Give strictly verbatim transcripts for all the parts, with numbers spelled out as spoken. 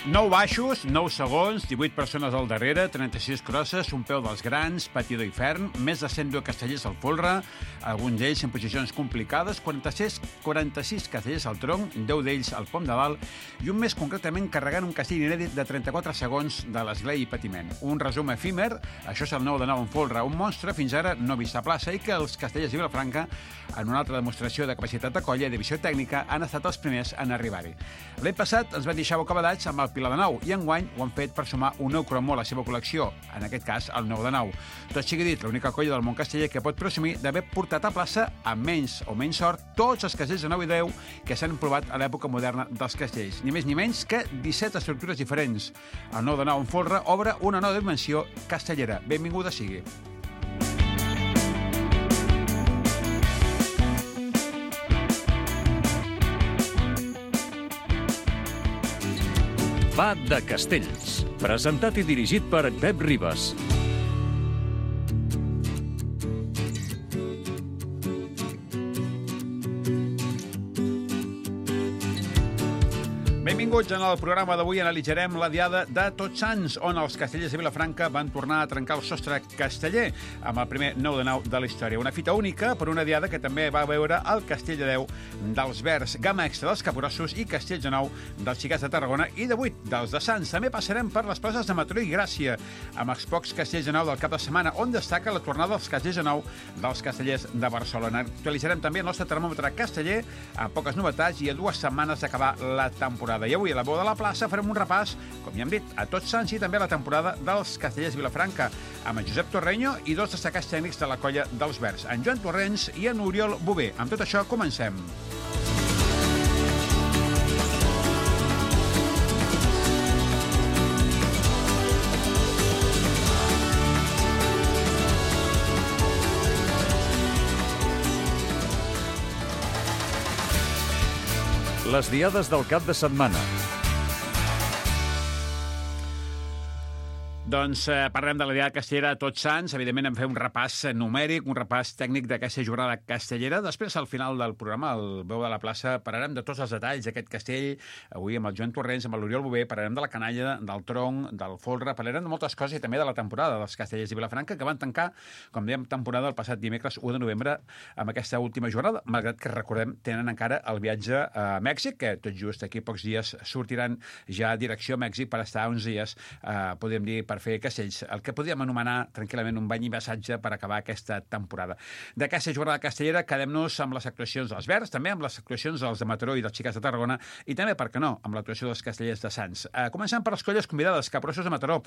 nou baixos, nou segons, divuit persones al darrere, trenta-sis crosses, un peu dels grans, patidor i ferm, més de cent deu castellers al folre, alguns d'ells en posicions complicades, quaranta-sis, quaranta-sis castellers al tronc, deu d'ells al pom de dalt, i un més concretament carregant un castell inèdit de trenta-quatre segons de l'esglai i patiment. Un resum efímer, això és el nou de nou en folre, un monstre fins ara no vist a plaça i que els castellers de Vilafranca, en una altra demostració de capacitat de colla i de visió tècnica, han estat els primers en arribar-hi. L'any passat ens van deixar bocabadats amb el Pilar de Nou i enguany ho han fet per sumar un nou cromo a la seva col·lecció, en aquest cas el nou de nou. Tot sigui dit, l'única colla del món casteller que pot presumir d'haver portat a plaça, amb menys o menys sort, tots els castells de nou i deu que s'han provat a l'època moderna dels castells. Ni més ni menys que disset estructures diferents. El nou de nou en folre obre una nova dimensió castellera. Benvinguda sigui. Va de Castells, presentat i dirigit per Pep Ribas. Benvinguts. En el programa d'avui analitzarem la diada de Tots Sants, on els castellers de Vilafranca van tornar a trencar el sostre casteller amb el primer nou de nou de la història. Una fita única per una diada que també va veure el Castell de Deu dels Verds, gamma extra dels Capgrossos i Castells de Nou dels Xicats de Tarragona i de vuit dels de Sants. També passarem per les places de Mataró i Gràcia, amb els pocs castells de nou del cap de setmana, on destaca la tornada dels castells de nou dels castellers de Barcelona. Actualitzarem també el nostre termòmetre casteller amb poques novetats i a dues setmanes d'acabar la temporada. I avui a la Veu de la Plaça farem un repàs, com ja hem dit, a Tots Sants i també a la temporada dels castellers Vilafranca, amb en Josep Torreño i dos destacats tècnics de la colla dels Verds, en Joan Torrents i en Oriol Bové. Amb tot això, comencem. Les diades del cap de setmana. Doncs eh, parlem de la diada castellera a Tots Sants. Evidentment hem fet un repàs numèric, un repàs tècnic d'aquesta jornada castellera. Després, al final del programa, al Veu de la Plaça, parlarem de tots els detalls d'aquest castell. Avui amb el Joan Torrents, amb l'Oriol Bové, parlarem de la canalla, del tronc, del folre, parlarem de moltes coses i també de la temporada dels castellers de Vilafranca, que van tancar, com dèiem, temporada el passat dimecres u de novembre amb aquesta última jornada, malgrat que, recordem, tenen encara el viatge a Mèxic, que tot just aquí pocs dies sortiran ja a direcció a Mèxic per estar uns dies, eh, podríem dir, per fer castells, el que podríem anomenar tranquil·lament un bany i massatge per acabar aquesta temporada. D'aquesta jornada castellera quedem-nos amb les actuacions dels Verds, també amb les actuacions dels de Mataró i dels Xicats de Tarragona i també, per què no, amb l'actuació dels castellers de Sants. Uh, començant per les colles convidades, Capgrossos de Mataró,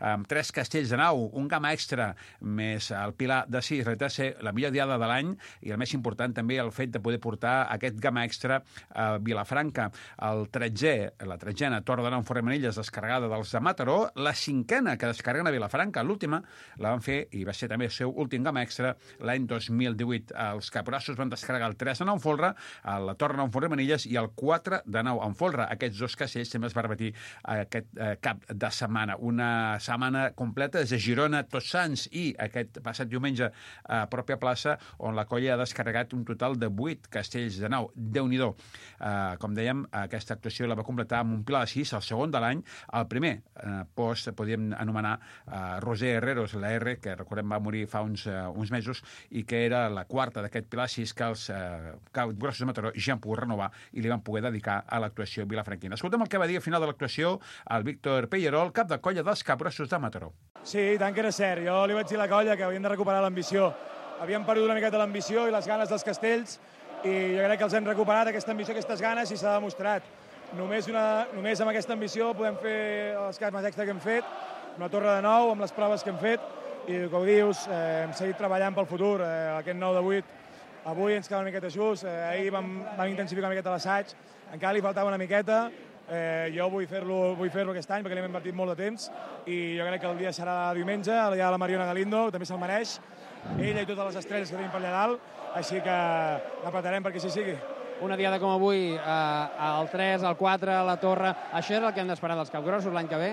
amb tres castells de nau, un gamma extra, més el Pilar de sis, realitat ser la millor diada de l'any i el més important també el fet de poder portar aquest gamma extra a Vilafranca. El tretzè, la tretzena Torre de Nou en Formenilles descarregada dels de Mataró, la cinquena que descarreguen a Vilafranca. L'última la van fer, i va ser també el seu últim gamma extra, l'any dos mil divuit. Els Capgrossos van descarregar el tres de nou en folre, la Torre de Nou en Formenilles i el quatre de nou en folre. Aquests dos castells també es va repetir aquest eh, cap de setmana. Una setmana completa des de Girona, Tots Sants i aquest passat diumenge a pròpia plaça, on la colla ha descarregat un total de vuit castells de nou. Déu-n'hi-do. Eh, com dèiem, aquesta actuació la va completar amb un Pilar de sis, el segon de l'any, el primer eh, post, podríem anomenar uh, Roser Herreros, la R, que recordem va morir fa uns, uh, uns mesos i que era la quarta d'aquest Pilar sis que els uh, Capgrossos de Mataró ja han pogut renovar i li van poder dedicar a l'actuació vilafranquina. Escoltem el que va dir al final de l'actuació el Víctor Pellerol, cap de colla dels Capgrossos de Mataró. Sí, tant que era cert. Jo li vaig dir a la colla que havíem de recuperar l'ambició. Havíem perdut una miqueta l'ambició i les ganes dels castells i jo crec que els hem recuperat, aquesta ambició, aquestes ganes, i s'ha demostrat. Només, una, només amb aquesta ambició podem fer els casmes extra que hem fet, amb la Torre de Nou, amb les proves que hem fet, i com dius, eh, hem seguit treballant pel futur. Eh, aquest nou de vuit, avui ens queda una miqueta just, eh, ahir vam, vam intensificar una miqueta l'assaig, encara li faltava una miqueta, eh, jo vull fer-lo vull fer-lo aquest any perquè l'hem invertit molt de temps, i jo crec que el dia serà diumenge, el dia de la Mariona Galindo, també se'l mereix, ella i totes les estrelles que tenim per allà dalt, així que l'apretarem perquè així sigui. Una diada com avui, eh, el tres, el quatre, la Torre, això és el que hem d'esperar dels Capgrossos l'any que ve?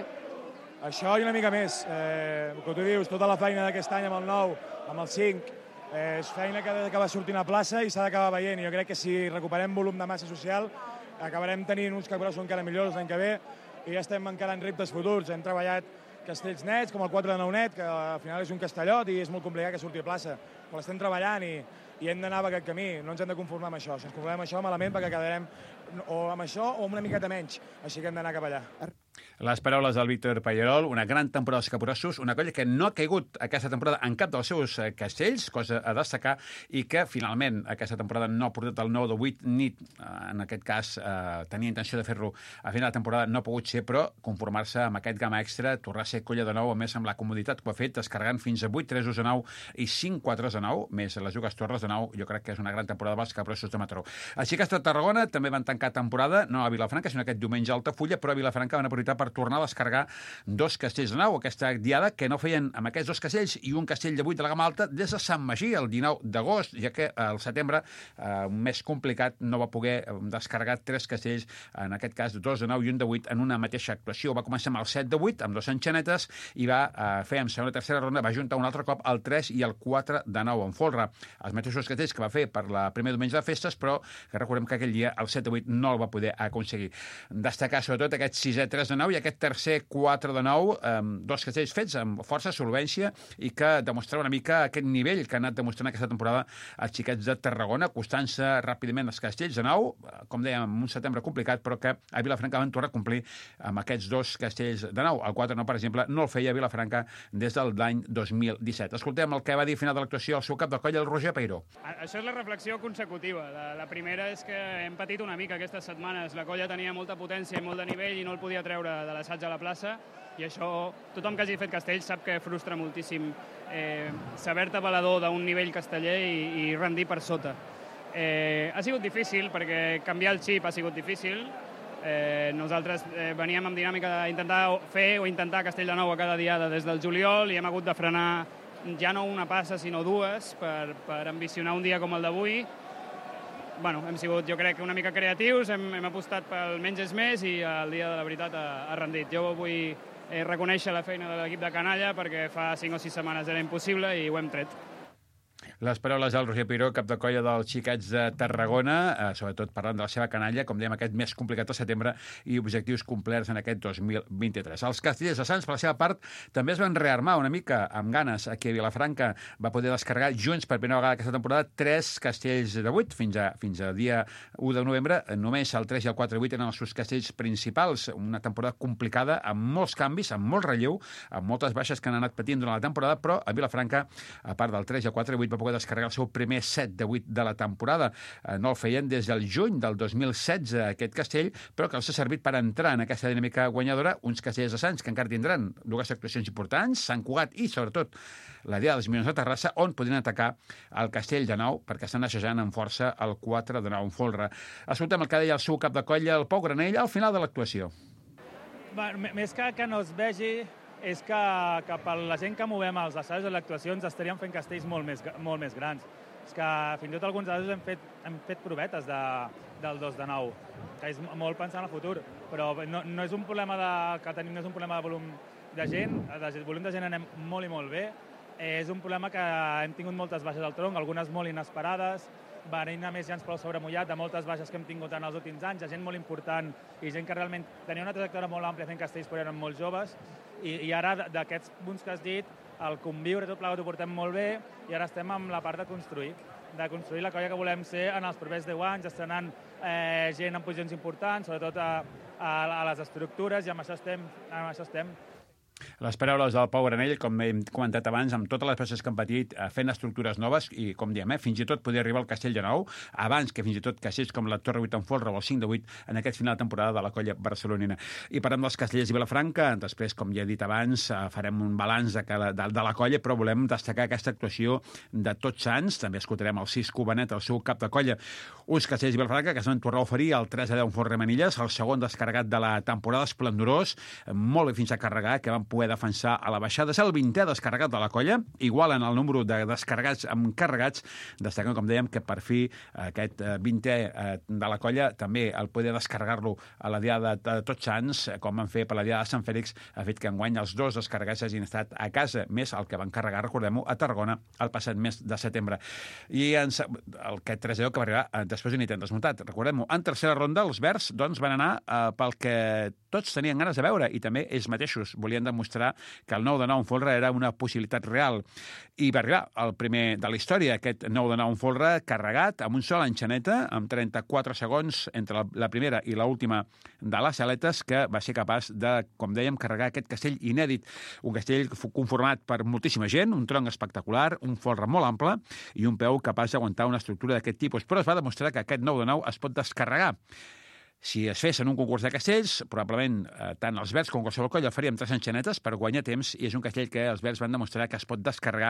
Això i una mica més. Eh, com tu dius, tota la feina d'aquest any amb el nou, amb el cinc, eh, és feina que ha d'acabar sortint a plaça i s'ha d'acabar veient. I jo crec que si recuperem volum de massa social, acabarem tenint uns Capgrossos encara millors l'any que ve. i ja estem encarant reptes futurs. Hem treballat castells nets, com el quatre de nou net, que al final és un castellot i és molt complicat que surti a plaça. Però l'estem treballant i, i hem d'anar per aquest camí. No ens hem de conformar amb això. Si ens conformem amb això, malament, perquè quedarem o amb això o amb una miqueta menys. Així que hem d'anar cap allà. Les paraules del Víctor Pallerol, una gran temporada dels Capgrossos, una colla que no ha caigut aquesta temporada en cap dels seus castells, cosa a destacar, i que finalment aquesta temporada no ha portat el nou de vuit, ni en aquest cas eh, tenia intenció de fer-lo a final de temporada, no ha pogut ser, però conformar-se amb aquest gamma extra, tornar a ser colla de nou, a més amb la comoditat que ho ha fet, descarregant fins a vuit tresos de nou i cinc quatres de nou, més les dues torres de nou, jo crec que és una gran temporada dels Capgrossos de Mataró. Així que a Tarragona també van tancar temporada, no a Vilafranca, sinó aquest diumenge a Altafulla, però a Vilafranca van aprofitar per tornar a descarregar dos castells de nou, aquesta diada que no feien amb aquests dos castells i un castell de vuit de la gamma alta des de Sant Magí el dinou d'agost, ja que al setembre, eh, un mes complicat, no va poder descarregar tres castells, en aquest cas dos de nou i un de vuit, en una mateixa actuació. Va començar amb el set de vuit, amb dos enxanetes, i va eh, fer en segona i tercera ronda, va juntar un altre cop el tres i el quatre de nou en folre. Els mateixos castells que va fer per la primer diumenge de festes, però que recordem que aquell dia el set de vuit no el va poder aconseguir. Destacar sobretot aquest sisè tres de nou i aquest tercer quatre de nou, eh, dos castells fets amb força solvència i que demostrava una mica aquest nivell que ha anat demostrant aquesta temporada els xiquets de Tarragona, acostant-se ràpidament als castells de nou, com dèiem, en un setembre complicat, però que a Vilafranca van tornar a complir amb aquests dos castells de nou. El quatre de nou, per exemple, no el feia a Vilafranca des del l'any dos mil disset. Escoltem el que va dir a final de l'actuació el seu cap de colla, el Roger Peiró. Això és la reflexió consecutiva. La, la primera és que hem patit una mica aquestes setmanes. La colla tenia molta potència i molt de nivell i no el podia treure de l'assaig a la plaça, i això tothom que hagi fet castells sap que frustra moltíssim eh, saber-te valedor d'un nivell casteller i, i rendir per sota. Eh, ha sigut difícil perquè canviar el xip ha sigut difícil. Eh, nosaltres eh, veníem amb dinàmica d'intentar fer o intentar castell de nou a cada diada des del juliol i hem hagut de frenar ja no una passa sinó dues per, per ambicionar un dia com el d'avui. Bueno, hem sigut, jo crec, una mica creatius, hem, hem apostat pel menys és més i el dia de la veritat ha, ha rendit. Jo vull eh, reconèixer la feina de l'equip de Canalla perquè fa cinc o sis setmanes era impossible i ho hem tret. Les paraules del Roger Peiró, cap de colla dels xiquets de Tarragona, eh, sobretot parlant de la seva canalla, com dèiem, aquest mes complicat de setembre i objectius complerts en aquest dos mil vint-i-tres. Els castellers de Sants, per la seva part, també es van rearmar una mica amb ganes. Aquí a Vilafranca va poder descarregar junts per primera vegada aquesta temporada tres castells de vuit fins a, fins a dia u de novembre. Només el tres i el quatre de vuit eren els seus castells principals. Una temporada complicada, amb molts canvis, amb molt relleu, amb moltes baixes que han anat patint durant la temporada, però a Vilafranca, a part del tres i el quatre de vuit, va poder descarregar el seu primer set de vuit de la temporada. No el feien des del juny del dos mil setze, aquest castell, però que els ha servit per entrar en aquesta dinàmica guanyadora uns castellers de Sants que encara tindran dues actuacions importants, Sant Cugat i, sobretot, la Diada dels Milions de Terrassa, on podrien atacar el castell de nou, perquè estan assajant amb força el quatre de nou en folre. Escoltem el que deia el seu cap de colla, el Pau Granell, al final de l'actuació. Més que que no es vegi, és que, que per la gent que movem els assajos i les actuacions estaríem fent castells molt més, molt més grans. És que fins i tot alguns assajos hem fet, hem fet provetes de, del dos de nou, que és molt pensant en el futur, però no, no és un problema de, que tenim, no és un problema de volum de gent, de volum de gent anem molt i molt bé, és un problema que hem tingut moltes baixes al tronc, algunes molt inesperades, venint a més ja ens prou sobremullat de moltes baixes que hem tingut en els últims anys, gent molt important i gent que realment tenia una trajectòria molt àmplia fent castells però eren molt joves i, i ara d'aquests punts que has dit, el conviure tot plegat ho portem molt bé i ara estem amb la part de construir, de construir la colla que volem ser en els propers deu anys, estrenant eh, gent en posicions importants, sobretot a, a, a les estructures i amb això estem. Amb això estem. Les paraules del Pau Granell, com hem comentat abans, amb totes les peces que han patit, fent estructures noves i, com diem, eh, fins i tot poder arribar al castell de nou, abans que fins i tot castells com la Torre vuit en folre o el cinc de vuit en aquest final de temporada de la colla barcelonina. I parlem dels castellers i Vilafranca, després, com ja he dit abans, farem un balanç de, cada, de, de la colla, però volem destacar aquesta actuació de Tots Sants. També escoltarem el sis Cubanet, el seu cap de colla. Uns castellers i Vilafranca que es van tornar a oferir el tres a deu en Font Remenilles, el segon descarregat de la temporada esplendorós, molt bé fins a carregar, que van poder defensar a la baixada. És el vintè descarregat de la colla, igual en el número de descarregats amb carregats, destacant, com dèiem, que per fi aquest vintè de la colla també el poder descarregar-lo a la diada de Tots Sants, com van fer per la diada de Sant Fèlix, ha fet que enguany els dos descarregats hagin estat a casa, més el que van carregar, recordem-ho, a Tarragona el passat mes de setembre. I ens, el que tres a deu que va arribar després d'un intent desmuntat. Recordem-ho, en tercera ronda els verds doncs, van anar eh, pel que tots tenien ganes de veure i també ells mateixos volien demostrar que el nou de nou en folre era una possibilitat real. I va arribar el primer de la història, aquest nou de nou en folre carregat amb un sol enxaneta, amb trenta-quatre segons entre la, la primera i l'última de les aletes, que va ser capaç de, com dèiem, carregar aquest castell inèdit. Un castell conformat per moltíssima gent, un tronc espectacular, un folre molt ample i un peu capaç d'aguantar una estructura d'aquest tipus. Però es va demostrar que aquest nou de nou es pot descarregar. Si es fes en un concurs de castells, probablement eh, tant els verds com qualsevol colla faríem tres enxanetes per guanyar temps, i és un castell que els verds van demostrar que es pot descarregar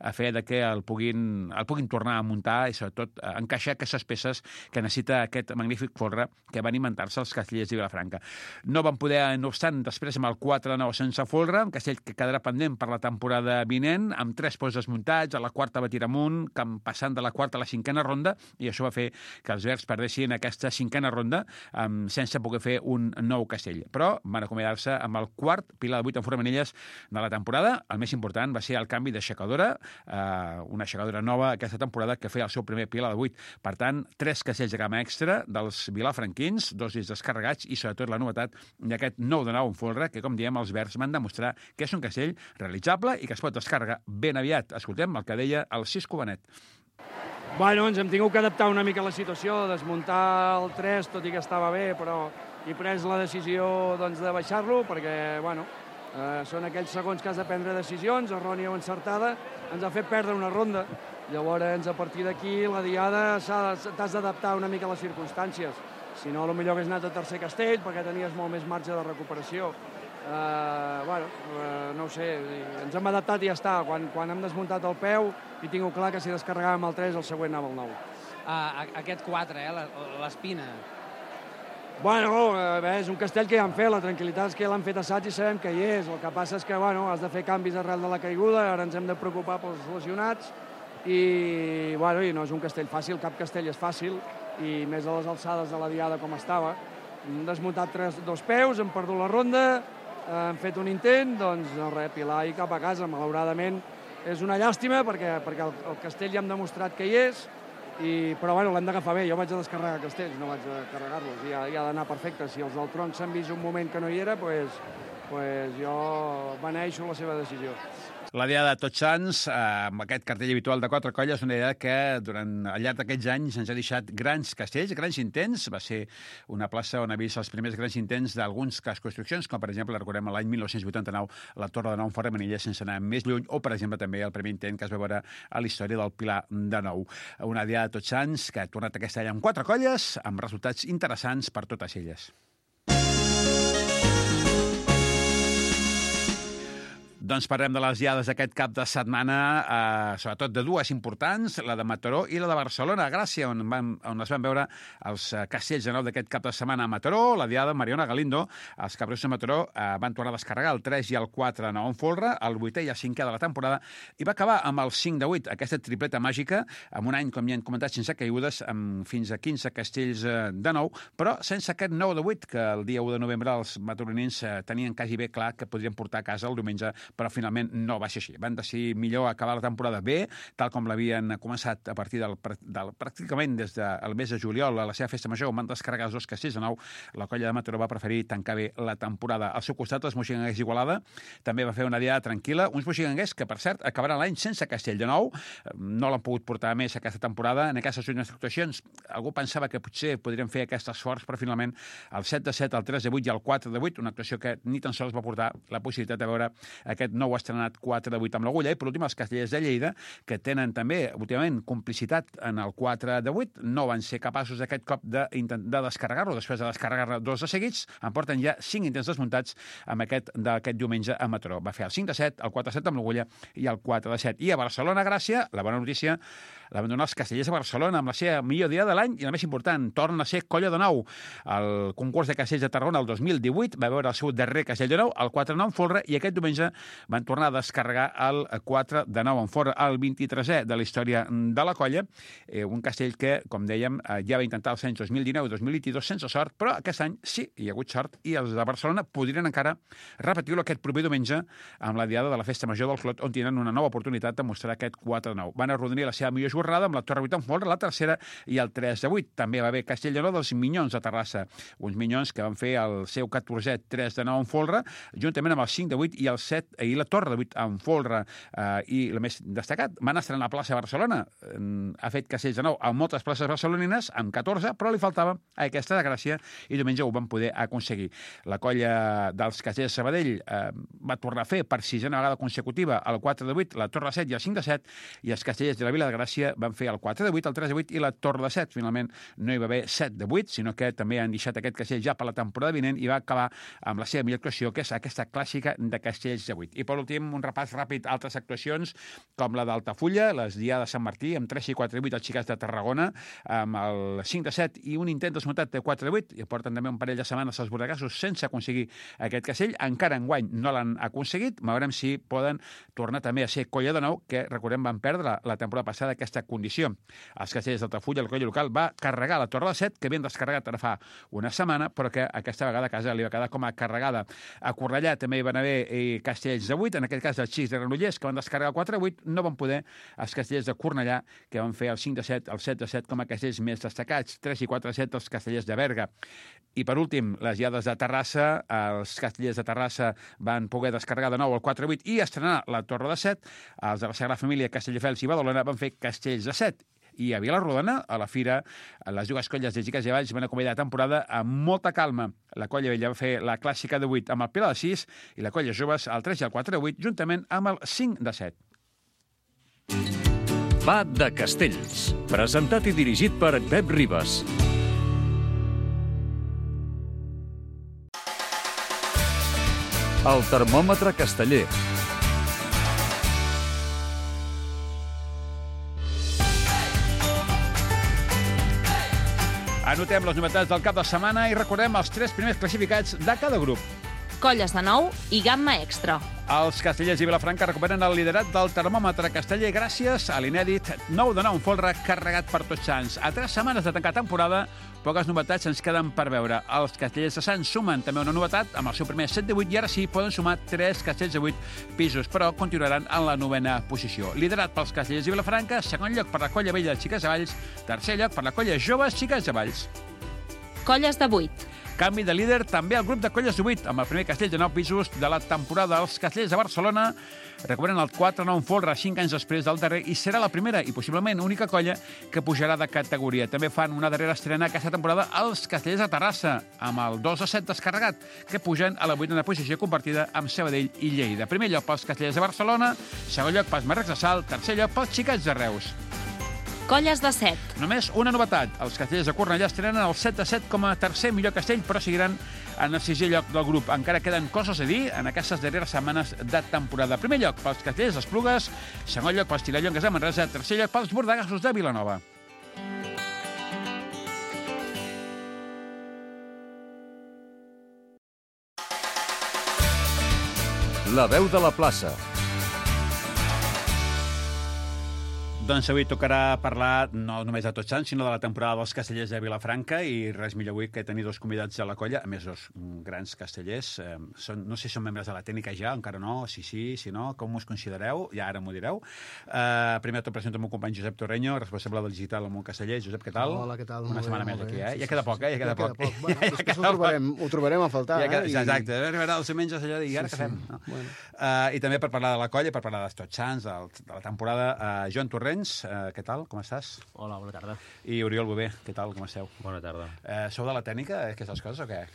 a fe de que el puguin, el puguin tornar a muntar i sobretot eh, encaixar aquestes peces que necessita aquest magnífic folre que van inventar-se els castellers de Vilafranca. No van poder, no obstant, després amb el quatre de nou sense folre, un castell que quedarà pendent per la temporada vinent, amb tres pols desmuntats, a la quarta va tirar amunt, passant de la quarta a la cinquena ronda, i això va fer que els verds perdessin aquesta cinquena ronda Um, sense poder fer un nou castell. Però van acomiadar-se amb el quart pilar de vuit en formanilles de la temporada. El més important va ser el canvi d'aixecadora, uh, una aixecadora nova aquesta temporada que feia el seu primer pilar de vuit. Per tant, tres castells de gamma extra dels vilafranquins, dos discs descarregats i sobretot la novetat d'aquest nou de nou en folre que, com diem, els verds van demostrar que és un castell realitzable i que es pot descarregar ben aviat. Escoltem el que deia el Cisco Benet. Bueno, ens hem tingut que adaptar una mica a la situació, desmuntar el tres, tot i que estava bé, però he pres la decisió doncs, de baixar-lo, perquè bueno, eh, són aquells segons que has de prendre decisions, errònia o encertada, ens ha fet perdre una ronda. Llavors, a partir d'aquí, la diada t'has d'adaptar una mica a les circumstàncies. Si no, potser hagués anat a tercer castell, perquè tenies molt més marge de recuperació. Uh, bueno, uh, no ho sé, ens hem adaptat i ja està. Quan, quan hem desmuntat el peu, he tingut clar que si descarregàvem el tres, el següent anava al nou. Uh, aquest quatre, eh, l'Espina. Bueno, uh, bé, és un castell que ja han fet, la tranquil·litat és que l'han fet assaig i sabem que hi és. El que passa és que bueno, has de fer canvis arrel de la caiguda, ara ens hem de preocupar pels lesionats i, bueno, i no és un castell fàcil, cap castell és fàcil, i més a les alçades de la diada com estava. Hem desmuntat tres, dos peus, hem perdut la ronda, hem fet un intent, doncs no res, pilar i cap a casa. Malauradament és una llàstima perquè, perquè el, el castell ja hem demostrat que hi és, i, però bueno, l'hem d'agafar bé. Jo vaig a descarregar castells, no vaig a carregar-los, i ha, ha d'anar perfecte. Si els del tronc s'han vist un moment que no hi era, doncs pues jo beneixo la seva decisió. La diada de Tots Sants, eh, amb aquest cartell habitual de quatre colles, una diada que durant al llarg d'aquests anys ens ha deixat grans castells, grans intents. Va ser una plaça on ha vist els primers grans intents d'alguns cas construccions, com per exemple, recordem l'any mil nou-cents vuitanta-nou, la Torre de Nou en Formanilles, sense anar més lluny, o per exemple també el primer intent que es va veure a la història del Pilar de Nou. Una diada de Tots Sants que ha tornat aquest any amb quatre colles, amb resultats interessants per totes elles. Doncs parlem de les diades d'aquest cap de setmana, eh, sobretot de dues importants, la de Mataró i la de Barcelona, a Gràcia, on, van, on es van veure els castells de nou d'aquest cap de setmana a Mataró, la diada de Mariona Galindo. Els capgrossos de Mataró eh, van tornar a descarregar el tres i el quatre de nou en folre, el vuitè i el cinquè de la temporada, i va acabar amb el cinc de vuit, aquesta tripleta màgica, amb un any, com ja hem comentat, sense caigudes, amb fins a quinze castells eh, de nou, però sense aquest nou de vuit, que el dia u de novembre els mataronins eh, tenien quasi bé clar que podrien portar a casa el diumenge, però finalment no va ser així. Van decidir millor acabar la temporada bé, tal com l'havien començat a partir del, del pràcticament des del mes de juliol a la seva festa major, on van descarregar els dos castells de nou. La colla de Mataró va preferir tancar bé la temporada. Al seu costat, els moxiganguers d'Igualada també va fer una diada tranquil·la. Uns moxiganguers que, per cert, acabaran l'any sense castell de nou. No l'han pogut portar més aquesta temporada. En aquestes últimes actuacions, algú pensava que potser podrien fer aquest esforç, però finalment el set de set, el tres de vuit i el quatre de vuit, una actuació que ni tan sols va portar la possibilitat de veure aquest aquest nou estrenat quatre de vuit amb l'Agulla, i per últim els Castellers de Lleida, que tenen també últimament complicitat en el quatre de vuit, no van ser capaços aquest cop de, de descarregar-lo, després de descarregar-ne dos de seguits, en porten ja cinc intents desmuntats amb aquest d'aquest diumenge a Mataró. Va fer el cinc de set, el quatre de set amb l'Agulla i el quatre de set. I a Barcelona, Gràcia, la bona notícia, l'abandonar els Castellers de Barcelona amb la seva millor dia de l'any i la més important, torna a ser colla de nou. El concurs de castells de Tarragona el dos mil divuit va veure el seu darrer castell de nou, el quatre de nou en folre, i aquest diumenge van tornar a descarregar el quatre de nou en folre, el vint-i-tresè de la història de la colla, eh, un castell que, com dèiem, eh, ja va intentar els anys dos mil dinou i dos mil vint-i-dos sense sort, però aquest any sí, hi ha hagut sort, i els de Barcelona podrien encara repetir-lo aquest proper diumenge amb la diada de la Festa Major del Clot, on tenen una nova oportunitat de mostrar aquest quatre de nou. Van arrodonir la seva millor jornada amb la Torre vuit en folre, la tercera, i el tres de vuit. També va haver Castell de Nou dels Minyons de Terrassa, uns Minyons que van fer el seu catorzè tres de nou en folre, juntament amb el cinc de vuit i el set i la Torre de vuit en folre. Eh, I el més destacat, van estrenar a la plaça de Barcelona. Eh, ha fet Castells de Nou a moltes places barcelonines, amb catorze, però li faltava aquesta de Gràcia, i diumenge ho van poder aconseguir. La colla dels Castells de Sabadell eh, va tornar a fer per sisena vegada consecutiva el quatre de vuit, la Torre de set i el cinc de set, i els Castellers de la Vila de Gràcia van fer el quatre de vuit, el tres de vuit i la Torre de set. Finalment no hi va haver set de vuit, sinó que també han deixat aquest castell ja per la temporada vinent i va acabar amb la seva millor actuació, que és aquesta clàssica de castells de vuit. I per últim, un repàs ràpid a altres actuacions, com la d'Altafulla, les diades de Sant Martí, amb tres i quatre de vuit els xicats de Tarragona, amb el cinc de set i un intent desmuntat de quatre de vuit, i porten també un parell de setmanes als bordegassos sense aconseguir aquest castell. Encara enguany no l'han aconseguit, veurem si poden tornar també a ser colla de nou, que recordem van perdre la, la temporada passada aquesta condició. Els Castellers d'Altafulla, el colla local, va carregar la Torre de set, que havien descarregat ara fa una setmana, però que aquesta vegada a casa li va quedar com a carregada. A Cornellà també hi van haver eh, Castells de vuit, en aquest cas els xics de Granollers, que van descarregar el quatre de vuit, no van poder els Castellers de Cornellà, que van fer el cinc de set, el set de set com a castells més destacats, tres i quatre de set els Castellers de Berga. I per últim, les diades de Terrassa, els Castellers de Terrassa van poder descarregar de nou el quatre de vuit i estrenar la Torre de set, els de la Sagrada Família, Castelldefels i Badalona van fer Castells de set. I a Vilarrodona, a la fira, les dues colles de xiques i valls van acompanyar la temporada amb molta calma. La colla vella va fer la clàssica de vuit amb el Pilar de sis i la colla joves el tres i el quatre de vuit, juntament amb el cinc de set. Va de Castells, presentat i dirigit per Pep Ribas. El termòmetre casteller. Anotem les novetats del cap de setmana i recordem els tres primers classificats de cada grup. Colles de nou i gamma extra. Els castellers i Vilafranca recuperen el liderat del termòmetre casteller gràcies a l'inèdit nou de nou en folre carregat per Tots Sants. A tres setmanes de tancar temporada, poques novetats ens queden per veure. Els castellers de Sants sumen també una novetat amb el seu primer set de vuit i ara sí poden sumar tres castells de vuit pisos, però continuaran en la novena posició. Liderat pels castellers i Vilafranca, segon lloc per la colla vella de Xiques de Valls, tercer lloc per la colla joves Xiques de Valls. Colles de vuit. Canvi de líder també al grup de colles de vuit, amb el primer castell de nou pisos de la temporada. Els castellers de Barcelona recuperen el quatre nou en folre cinc anys després del darrer i serà la primera i possiblement única colla que pujarà de categoria. També fan una darrera estrena aquesta temporada els castellers de Terrassa, amb el dos a set descarregat, que pugen a la vuitena posició compartida amb Sabadell i Lleida. Primer lloc pels castellers de Barcelona, segon lloc pels marrecs de Salt, tercer lloc pels xicats de Reus. Colles de set. Només una novetat. Els castellers de Cornellà estrenen el set de set com a tercer millor castell, però seguiran en el sisè lloc del grup. Encara queden coses a dir en aquestes darreres setmanes de temporada. Primer lloc pels castellers d'Esplugues, segon lloc pels Tirallongues de Manresa, tercer lloc pels bordegassos de Vilanova. La veu de la plaça. Doncs avui tocarà parlar no només de Tots Sants, sinó de la temporada dels castellers de Vilafranca i res millor avui que tenir dos convidats a la colla, a més dos grans castellers. Eh, són, no sé si són membres de la tècnica ja, encara no, si sí, si no, com us considereu? Ja ara m'ho direu. Eh, primer tot presento el meu company Josep Torreño, responsable del digital al món casteller. Josep, què tal? Hola, què tal? Una setmana més aquí, eh? Ja queda poc, eh? Ja queda poc. Bueno, després ho trobarem, ho trobarem a faltar, eh? Exacte, I... arribarà els diumenges allò de, i ara què fem? No? Bueno. Uh, I també per parlar de la colla, per parlar dels Tots Sants, de la temporada, uh, Joan Torrents, uh, què tal? Com estàs? Hola, bona tarda. I Oriol Bové, què tal? Com esteu? Bona tarda. Uh, sou de la tècnica, aquestes coses, o què?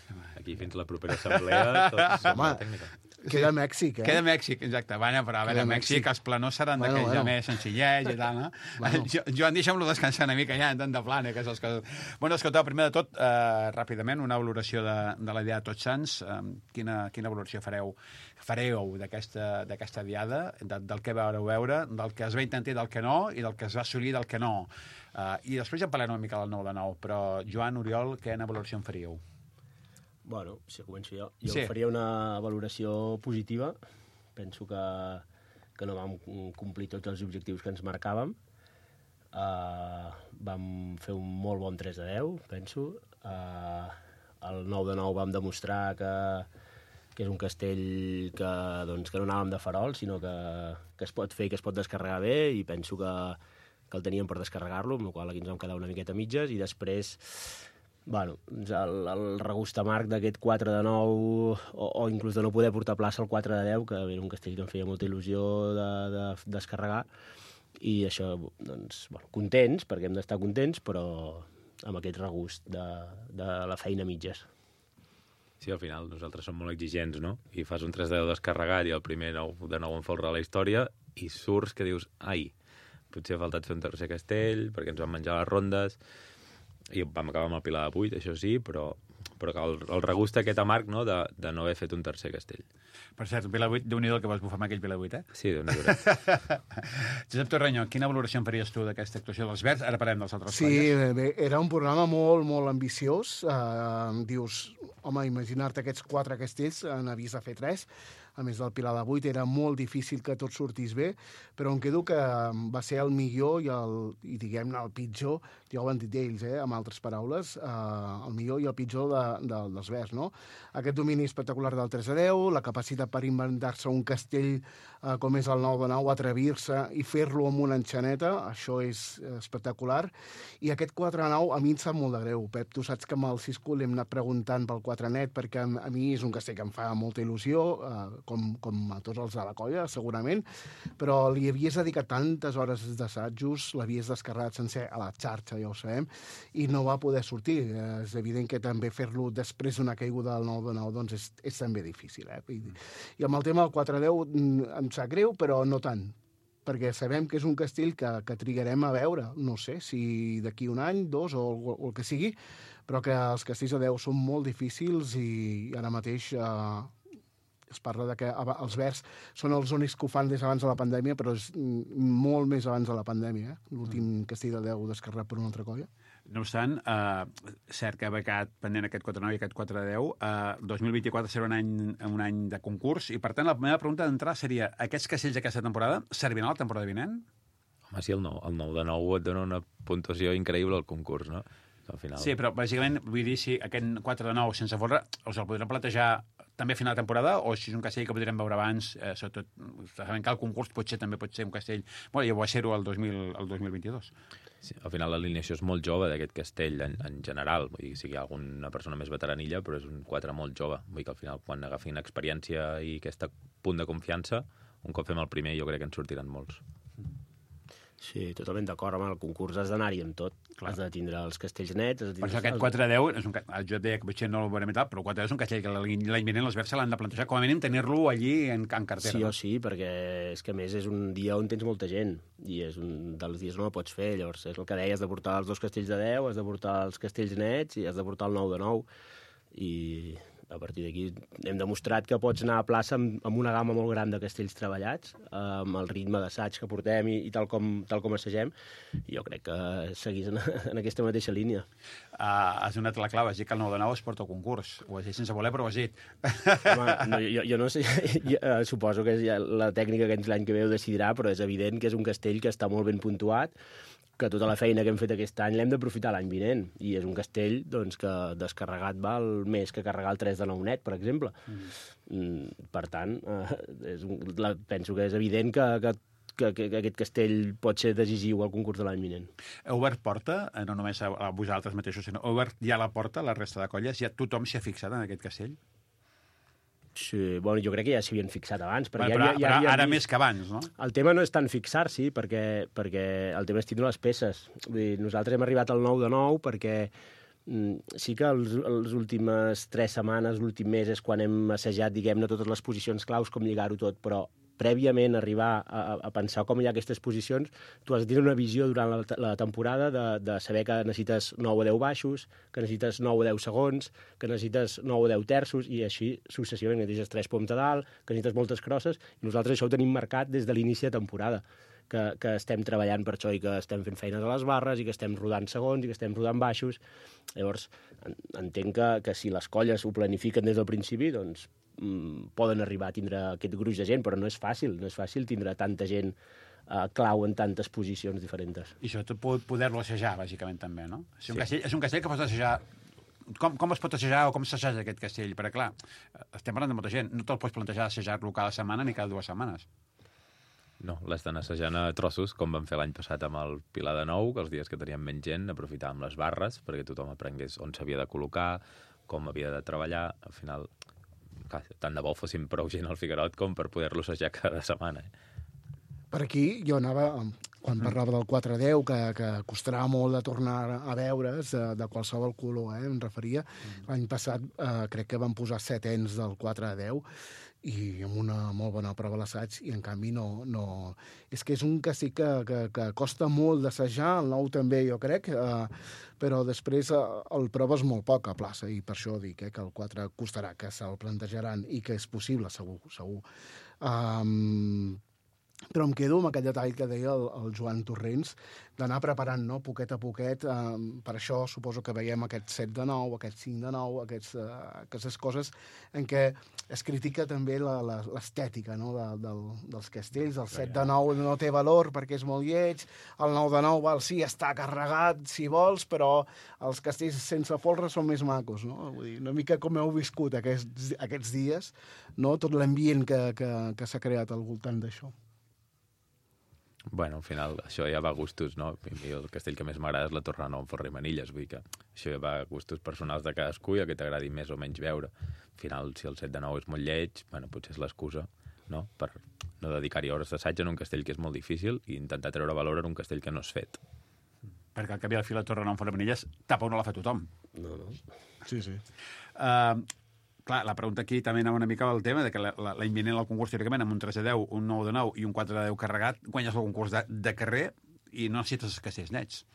Aquí fins la propera assemblea, tots som de la tècnica. Queda Mèxic, eh? Queda Mèxic, exacte. Bueno, però a veure, Mèxic, Mèxic, els planors seran bueno, d'aquells bueno. ja més senzillets i tal, no? Bueno. Jo, Joan, deixa'm-lo descansar una mica ja, tant de plana, que és les coses... Bueno, escolteu, primer de tot, eh, ràpidament, una valoració de, de la diada de Tots Sants. Eh, quina, quina valoració fareu fareu d'aquesta diada, de, del que veureu veure, del que es va intentar i del que no, i del que es va assolir i del que no. Eh, I després ja parlarem una mica del nou de nou, però Joan, Oriol, quina valoració en faríeu? Bueno, si començo jo. Jo sí. faria una valoració positiva. Penso que, que no vam complir tots els objectius que ens marcàvem. Uh, vam fer un molt bon tres de deu, penso. Uh, el nou de nou vam demostrar que, que és un castell que, doncs, que no anàvem de farol, sinó que, que es pot fer i que es pot descarregar bé, i penso que, que el teníem per descarregar-lo, amb la qual aquí ens vam quedar una miqueta mitges, i després... Bueno, el, el regust amarg d'aquest quatre de nou, o, o inclús de no poder portar plaça al quatre de deu, que era un castell que em feia molta il·lusió de, de descarregar, i això, doncs, bueno, contents, perquè hem d'estar contents, però amb aquest regust de, de la feina mitges. Sí, al final nosaltres som molt exigents, no? I fas un tres de deu descarregat i el primer nou de nou en folre a la història, i surts que dius, ai, potser ha faltat fer un tercer castell, perquè ens van menjar les rondes, i vam acabar amb el pilar de vuit, això sí, però, però el, el regust aquest amarg, no?, de, de no haver fet un tercer castell. Per cert, un pilar de vuit, Déu-n'hi-do el que vas bufar amb aquell pilar de vuit, eh? Sí, Déu-n'hi-do. Josep Torreño, quina valoració en faries tu d'aquesta actuació dels Verds? Ara parlem dels altres sí, colles. Sí, bé, era un programa molt, molt ambiciós. Uh, dius, home, imagina't aquests quatre castells, n'havies de fer tres. A més del pilar de vuit, era molt difícil que tot sortís bé, però em quedo que va ser el millor i, el, i diguem-ne, el pitjor, ja ho han dit ells, eh, amb altres paraules, eh, el millor i el pitjor de, de, dels Verds, no? Aquest domini espectacular del tres a deu, la capacitat per inventar-se un castell eh, com és el nou de nou, atrevir-se i fer-lo amb una enxaneta, això és espectacular. I aquest quatre a nou a mi em sap molt de greu. Pep, tu saps que amb el Cisco l'hem anat preguntant pel quatre net, perquè a, a mi és un castell que em fa molta il·lusió, eh, Com, com a tots els de la colla, segurament, però li havies dedicat tantes hores d'assajos, l'havies descarregat sencer a la xarxa, ja ho sabem, i no va poder sortir. És evident que també fer-lo després d'una caiguda del nou de nou doncs és, és també difícil. Eh? I, I amb el tema del quatre a deu em sap greu, però no tant, perquè sabem que és un castell que, que trigarem a veure, no sé, si d'aquí un any, dos o, o el que sigui, però que els castells a deu són molt difícils i ara mateix... Eh, es parla de que els Verds són els únics que ho fan des abans de la pandèmia, però és molt més abans de la pandèmia, eh? L'últim castell de deu descarregat per una altra colla. No obstant, eh, cert que ha becat pendent aquest quatre a nou i aquest quatre a deu, eh, dos mil vint-i-quatre serà un any, un any de concurs, i per tant la meva pregunta d'entrada seria, aquests castells d'aquesta temporada serviran a la temporada vinent? Home, sí, el nou, el nou de nou et dona una puntuació increïble al concurs, no? Al final. Sí, però bàsicament, vull dir, si aquest quatre de nou sense folre, us el podrem plantejar també a final de temporada, o si és un castell que podrem veure abans, eh, sobretot, sabem que el concurs potser també pot ser un castell... Bueno, ja ho va ser-ho el, dos mil vint-i-dos. Sí, al final l'alineació és molt jove d'aquest castell en, en general, vull dir, si hi ha alguna persona més veteranilla, però és un quatre molt jove. Vull dir que al final, quan agafin experiència i aquest punt de confiança, un cop fem el primer, jo crec que en sortiran molts. Sí, totalment d'acord, amb el concurs has d'anar-hi amb tot. Clar. Has de tindre els castells nets... Per això aquest quatre a deu, és un, jo et deia que potser no el veurem i tal, però quatre a deu és un castell que l'any vinent els Verds se l'han de plantejar, com a mínim tenir-lo allí en, en cartera. Sí o sí, perquè és que a més és un dia on tens molta gent, i és un dels dies no ho pots fer, llavors és el que deia, has de portar els dos castells de deu, has de portar els castells nets i has de portar el nou de nou, i... A partir d'aquí hem demostrat que pots anar a plaça amb, amb una gamma molt gran de castells treballats, amb el ritme d'assaig que portem i, i tal com, tal com assagem, i jo crec que seguís en, en aquesta mateixa línia. Uh, has donat la clau, has dit que el nou de nou es porta a concurs. Ho has dit sense voler, però ho has dit. Home, no, jo, jo no sé, jo, uh, suposo que ja la tècnica que l'any que ve ho decidirà, però és evident que és un castell que està molt ben puntuat, que tota la feina que hem fet aquest any l'hem d'aprofitar l'any vinent. I és un castell doncs, que descarregat val més que carregar el tres de nou net, per exemple. Mm. Per tant, eh, és un, la, penso que és evident que, que, que, que aquest castell pot ser decisiu al concurs de l'any vinent. Heu obert porta, no només a, a vosaltres mateixos, sinó heu obert ja la porta a la resta de colles? Ja tothom s'hi ha fixat en aquest castell? Sí, bueno, jo crec que ja s'hi havien fixat abans. Però, ja, però, ja, ja però ara vist... més que abans, no? El tema no és tant fixar-s'hi, perquè, perquè el tema és tindre les peces. Vull dir, nosaltres hem arribat al nou de nou perquè sí que els, les últimes tres setmanes, l'últim mes, és quan hem assajat, diguem-ne, totes les posicions claus, com lligar-ho tot, però prèviament arribar a, a pensar com hi ha aquestes posicions, tu has de tenir una visió durant la, la temporada de, de saber que necessites nou o deu baixos, que necessites nou o deu segons, que necessites nou o deu terços, i així successivament, necessites tres poms a dalt, que necessites moltes crosses, i nosaltres això ho tenim marcat des de l'inici de temporada, que, que estem treballant per això i que estem fent feines a les barres i que estem rodant segons i que estem rodant baixos. Llavors, entenc que, que si les colles ho planifiquen des del principi, doncs poden arribar a tindre aquest gruix de gent, però no és fàcil, no és fàcil tindre tanta gent eh, clau en tantes posicions diferents. I sobretot poder-lo assajar, bàsicament, també, no? És un, sí. castell, és un castell que pots assajar... Com, com es pot assajar o com s'assaja aquest castell? Perquè, clar, estem parlant de molta gent, no te'l pots plantejar assajar-lo cada setmana ni cada dues setmanes. No, l'estan assajant a trossos, com vam fer l'any passat amb el Pilar de Nou, que els dies que teníem menys gent aprofitàvem les barres perquè tothom aprengués on s'havia de col·locar, com havia de treballar. Al final, tant de bo fossin prou gent al Figuerot com per poder-lo assajar cada setmana. Eh? Per aquí jo anava, quan parlava del quatre a deu, que, que costarà molt de tornar a veure's, de, de qualsevol color, eh, em referia. L'any passat eh, crec que van posar set ens del quatre a deu, i amb una molt bona prova a l'assaig, i en canvi no... no... És que és un castell que, que, que costa molt d'assajar, el nou també, jo crec, eh, però després eh, el proves molt poc a plaça, i per això dic eh, que el quatre costarà, que se'l plantejaran, i que és possible, segur, segur. Um, però em quedo amb aquell detall que deia el, el Joan Torrents, d'anar preparant, no?, poquet a poquet. Eh, per això suposo que veiem aquest set de nou, aquest cinc de nou, aquests, eh, aquestes coses en què es critica també l'estètica, no?, de, del, dels castells. El set de nou no té valor perquè és molt lleig, el nou de nou, val, sí, està carregat si vols, però els castells sense folre són més macos, no? Vull dir, una mica com heu viscut aquests, aquests dies, no?, tot l'ambient que, que, que s'ha creat al voltant d'això. Bueno, al final, això ja va a gustos, no? A mi el castell que més m'agrada és la Torre Nou amb Forra i Manilles, vull dir que això ja va a gustos personals de cadascú i el que t'agradi més o menys veure. Al final, si el set de nou és molt lleig, bueno, potser és l'excusa, no?, per no dedicar-hi hores d'assaig en un castell que és molt difícil i intentar treure valor en un castell que no és fet. Perquè al cap i al fi la Torre Nou amb Forra i Manilles tapa on no la fa tothom. No, no. Sí, sí. Uh, Clar, la pregunta aquí també anava una mica al tema de que l'any vinent el concurs, teòricament, amb un tres a deu, un nou de nou i un quatre de deu carregat, guanyes el concurs de, de carrer i no necessites els castells nets.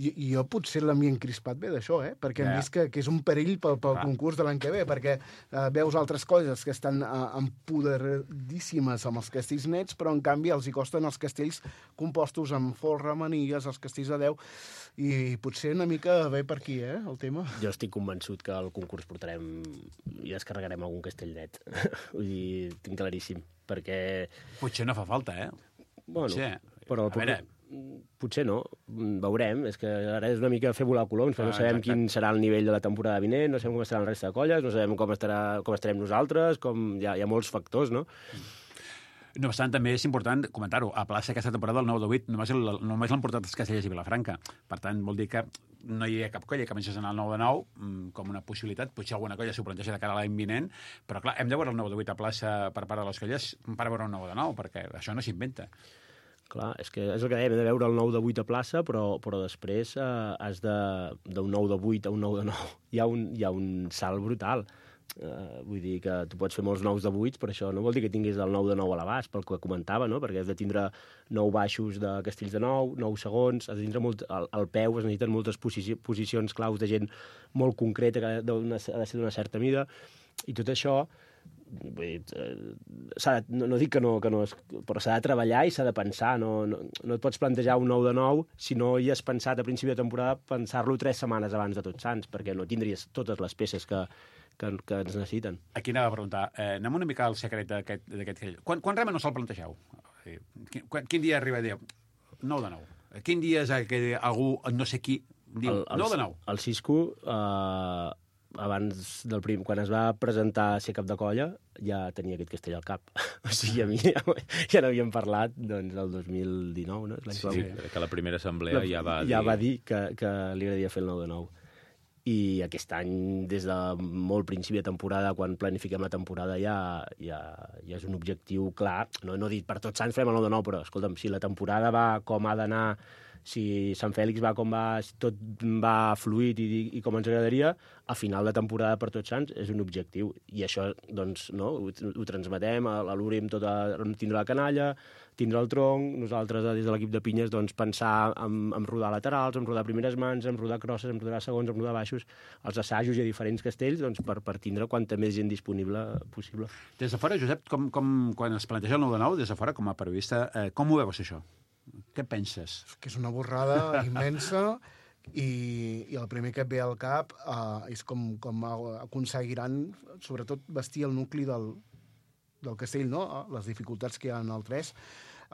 I, jo potser l'havia encrispat bé d'això, eh? Perquè hem Ja. vist que, que és un perill pel, pel Clar. concurs de l'any que ve, perquè eh, veus altres coses que estan eh, empoderadíssimes amb els castells nets, però en canvi els hi costen els castells compostos amb folre, manilles, els castells de deu, i potser una mica ve per aquí, eh, el tema. Jo estic convençut que al concurs portarem i descarregarem algun castell net. Vull dir, tinc claríssim, perquè... Potser no fa falta, eh? Bueno, Potser. però... A veure... Potser no, veurem. És que ara és una mica fer volar coloms, però Ah, no sabem exacte. quin serà el nivell de la temporada vinent, no sabem com estaran la resta de colles, no sabem com, estarà, com estarem nosaltres, com... Hi ha, hi ha molts factors, no? No obstant, també és important comentar-ho. A plaça aquesta temporada, el nou de vuit, només, el, només l'han portat els castellers i Vilafranca. Per tant, vol dir que no hi ha cap colla que comencés a anar al nou de nou com una possibilitat. Potser alguna colla s'ho planteja de cara a l'any vinent, però clar, hem de veure el nou de vuit a plaça per part de les colles per veure un nou de nou, perquè això no s'inventa. Clar, és que és el que dèiem, hem de veure el nou de vuit a plaça, però, però després eh, has de d'un nou de vuit a un nou de nou. Hi ha un, hi ha un salt brutal. Uh, vull dir que tu pots fer molts nous de vuits, però això no vol dir que tinguis el nou de nou a l'abast, pel que comentava, no? Perquè has de tindre nou baixos de castells de nou, nou segons, has de tindre molt, al, al peu es necessiten moltes posici, posicions claus de gent molt concreta, que ha de, ha de ser d'una certa mida, i tot això, vull dir, de, no, no dic que no, que no és, però s'ha de treballar i s'ha de pensar, no, no, no et pots plantejar un nou de nou si no hi has pensat a principi de temporada pensar-lo tres setmanes abans de Tots Sants, perquè no tindries totes les peces que, que, que ens necessiten. Aquí anava a preguntar, eh, anem una mica al secret d'aquest castell. Quan, quan realment no se'l plantegeu? Quin, quin dia arriba a dir nou de nou? Quin dia és que algú, no sé qui, diu nou de nou? El Cisco, eh, abans del prim, quan es va presentar a ser cap de colla, ja tenia aquest castell al cap. O sigui, a mi ja, ja n'havíem parlat doncs, el dos mil dinou, no? Sí, sí, que la primera assemblea la, ja va dir... Ja va dir que, que li agradaria fer el nou de nou. I aquest any, des de molt principi de temporada, quan planifiquem la temporada, ja, ja, ja és un objectiu clar. No, no dit per Tots Sants farem el nou de nou, però, escolta'm, si la temporada va com ha d'anar si Sant Fèlix va com va, si tot va fluid i, i com ens agradaria, a final de temporada per Tots Sants és un objectiu. I això, doncs, no, ho, ho transmetem, a l'Uri amb tota, tindre la canalla, tindre el tronc, nosaltres des de l'equip de pinyes doncs, pensar en, en rodar laterals, en rodar primeres mans, en rodar crosses, en rodar segons, en rodar baixos, els assajos i a diferents castells doncs, per, per tindre quanta més gent disponible possible. Des de fora, Josep, com, com, quan es planteja el nou de nou, des de fora, com a periodista, eh, com ho veus, això? Què penses? Que és una borrada immensa i, i el primer que et ve al cap uh, és com, com aconseguiran, sobretot, vestir el nucli del, del castell, no? Les dificultats que hi ha en el tres.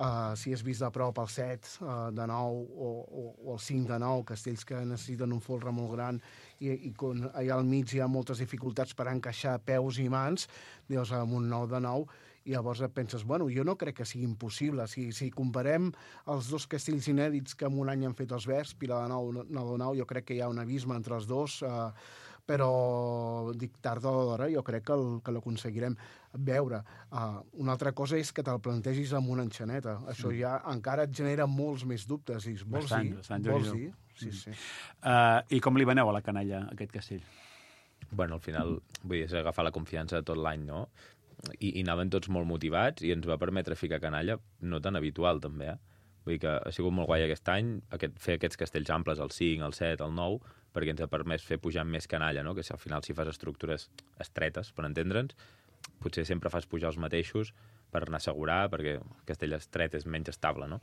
Uh, si has vist de prop el set uh, de nou o, o, o el cinc de nou, castells que necessiten un folre molt gran i, i quan allà al mig hi ha moltes dificultats per encaixar peus i mans, dius, amb un nou de nou, i llavors et penses, bueno, jo no crec que sigui impossible. Si, si comparem els dos castells inèdits que en un any han fet els Verds, Pilar de Nou, Nou de Nou, jo crec que hi ha un abisme entre els dos, eh, però dic, tard o d'hora, jo crec que, el, que l'aconseguirem veure. Uh, una altra cosa és que te'l plantegis amb una enxaneta. Això ja encara et genera molts més dubtes. I vols bastant, dir? Bastant, vols dir? Sí, sí. Uh, I com li veneu a la canalla, aquest castell? Bueno, al final, vull dir, és agafar la confiança de tot l'any, no? I, i anaven tots molt motivats i ens va permetre ficar canalla no tan habitual, també, eh? Vull dir que ha sigut molt guai aquest any aquest, fer aquests castells amples, el cinc, el set, el nou, perquè ens ha permès fer pujar més canalla, no? Que si al final si fas estructures estretes, per entendre'ns, potser sempre fas pujar els mateixos per anar a assegurar, perquè el castell estret és menys estable, no?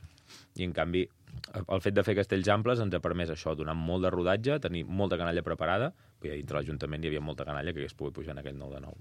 I, en canvi, el fet de fer castells amples ens ha permès això, donar molt de rodatge, tenir molta canalla preparada, i dintre l'Ajuntament hi havia molta canalla que hagués pogut pujar en aquell nou de nou.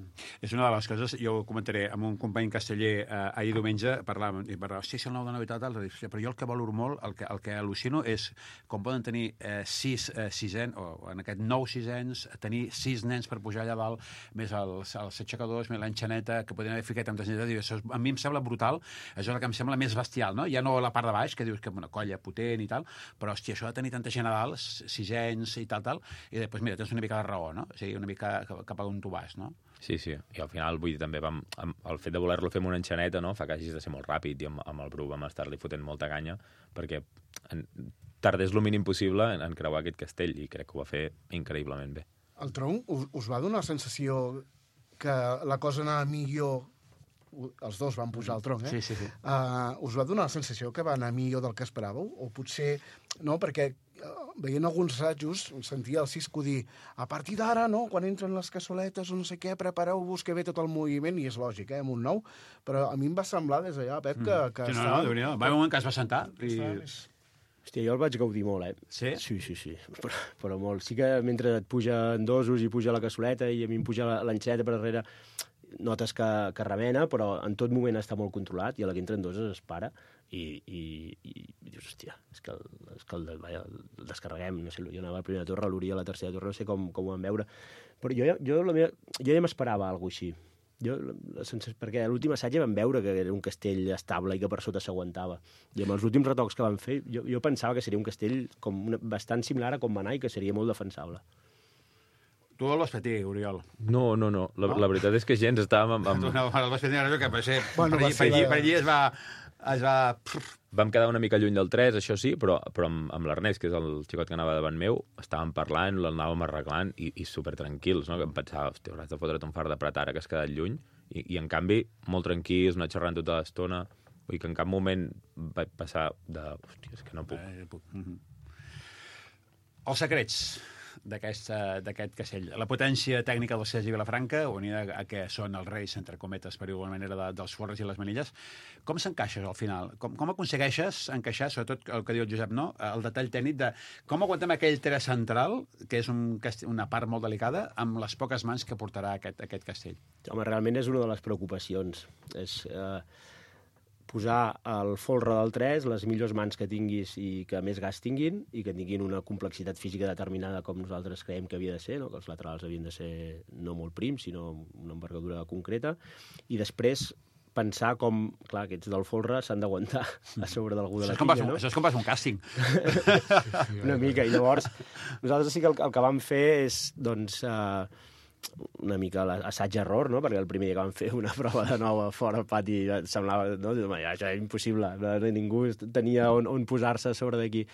És una de les coses, jo ho comentaré amb un company casteller eh, ahir diumenge, parlàvem, i parlava, sí, sí, el nou de nou i tal, tal, però jo el que valoro molt, el que, el que al·lucino és com poden tenir eh, sis eh, sisens, o en aquest nou sisens, tenir sis nens per pujar allà dalt, més els, els aixecadors, més l'enxaneta, que podien haver ficat amb desneta, això a mi em sembla brutal, això és el que em sembla més bestial, no? Ja no la part de baix, que dius que és una colla potent i tal, però, hòstia, això de tenir tanta gent a dalt, sisens i tal, tal, i després, mira, tens una mica de raó, no? O sigui, una mica cap a on tu vas, no? Sí, sí. I al final, vull dir, també vam, amb el fet de voler-lo fer amb una enxaneta, no? Fa que hagis de ser molt ràpid, i amb, amb el Bru vam estar-li fotent molta canya, perquè en, tardés el mínim possible en, en creuar aquest castell, i crec que ho va fer increïblement bé. El tronc us, us va donar la sensació que la cosa anava millor. Els dos van pujar al tronc, eh? Sí, sí, sí. Uh, us va donar la sensació que va anar millor del que esperàveu? O potser... No, perquè uh, veient alguns assajos sentia el Cisco dir a partir d'ara, no?, quan entren les cassoletes o no sé què, prepareu-vos que ve tot el moviment, i és lògic, eh, amb un nou, però a mi em va semblar des d'allà, Pep, que... que sí, no, no, Déu-n'hi-do. Va haver un moment que es va sentar i... Hòstia, jo el vaig gaudir molt, eh? Sí? Sí, sí, sí, però, però molt. Sí que mentre et puja en dosos i puja la cassoleta i a mi em puja l'enxaneta per darrere, notes que, que remena, però en tot moment està molt controlat i a la que entra en doses es para i, i, i, i dius, hòstia, és que el, és que el, vaja, el descarreguem, no sé, jo anava a la primera torre, l'Uri a la tercera torre, no sé com, com ho vam veure, però jo, jo, la meva, jo ja m'esperava alguna cosa així. Jo, la sensació, perquè a l'últim assaig ja vam veure que era un castell estable i que per sota s'aguantava. I amb els últims retocs que van fer, jo, jo pensava que seria un castell com una, bastant similar a com va anar i que seria molt defensable. Tu el vas patir, Oriol? No, no, no. La, no? la veritat és que gens estàvem amb... amb... No, el vas patir, que per, ser, bueno, per, allí, per, allí, per allí es va... Es va... Vam quedar una mica lluny del tres, això sí, però, però amb, amb l'Ernest, que és el xicot que anava davant meu, estàvem parlant, l'anàvem arreglant i, i supertranquils, no? Que em pensava, hòstia, hauràs de fotre't un far de prat ara que has quedat lluny. I, i en canvi, molt tranquils, anar xerrant tota l'estona. Vull dir que en cap moment vaig passar de... Hòstia, és que no puc. Eh, puc. Mm-hmm. Els secrets d'aquest castell. La potència tècnica del Sergi Vilafranca, unida a què són els reis, entre cometes, per igual manera, de, dels forres i les manilles, com s'encaixes al final? Com, com aconsegueixes encaixar, sobretot el que diu el Josep, no? El detall tècnic de com aguantem aquell tres central, que és un, una part molt delicada, amb les poques mans que portarà aquest, aquest castell? Home, realment és una de les preocupacions. És... Eh... posar el folre del tres, les millors mans que tinguis i que més gas tinguin, i que tinguin una complexitat física determinada com nosaltres creiem que havia de ser, no? Que els laterals havien de ser no molt prims, sinó una envergadura concreta, i després pensar com, clar, aquests del folre s'han d'aguantar a sobre d'algú de la quilla, no? Això és com vas un càsting. Una mica, i llavors nosaltres sí que el, el que vam fer és, doncs... Eh, una mica l'assaig-error, no? Perquè el primer dia que vam fer una prova de nou a fora al pati semblava, no? Ja, això era impossible, no? Ningú tenia on, on posar-se a sobre d'aquí.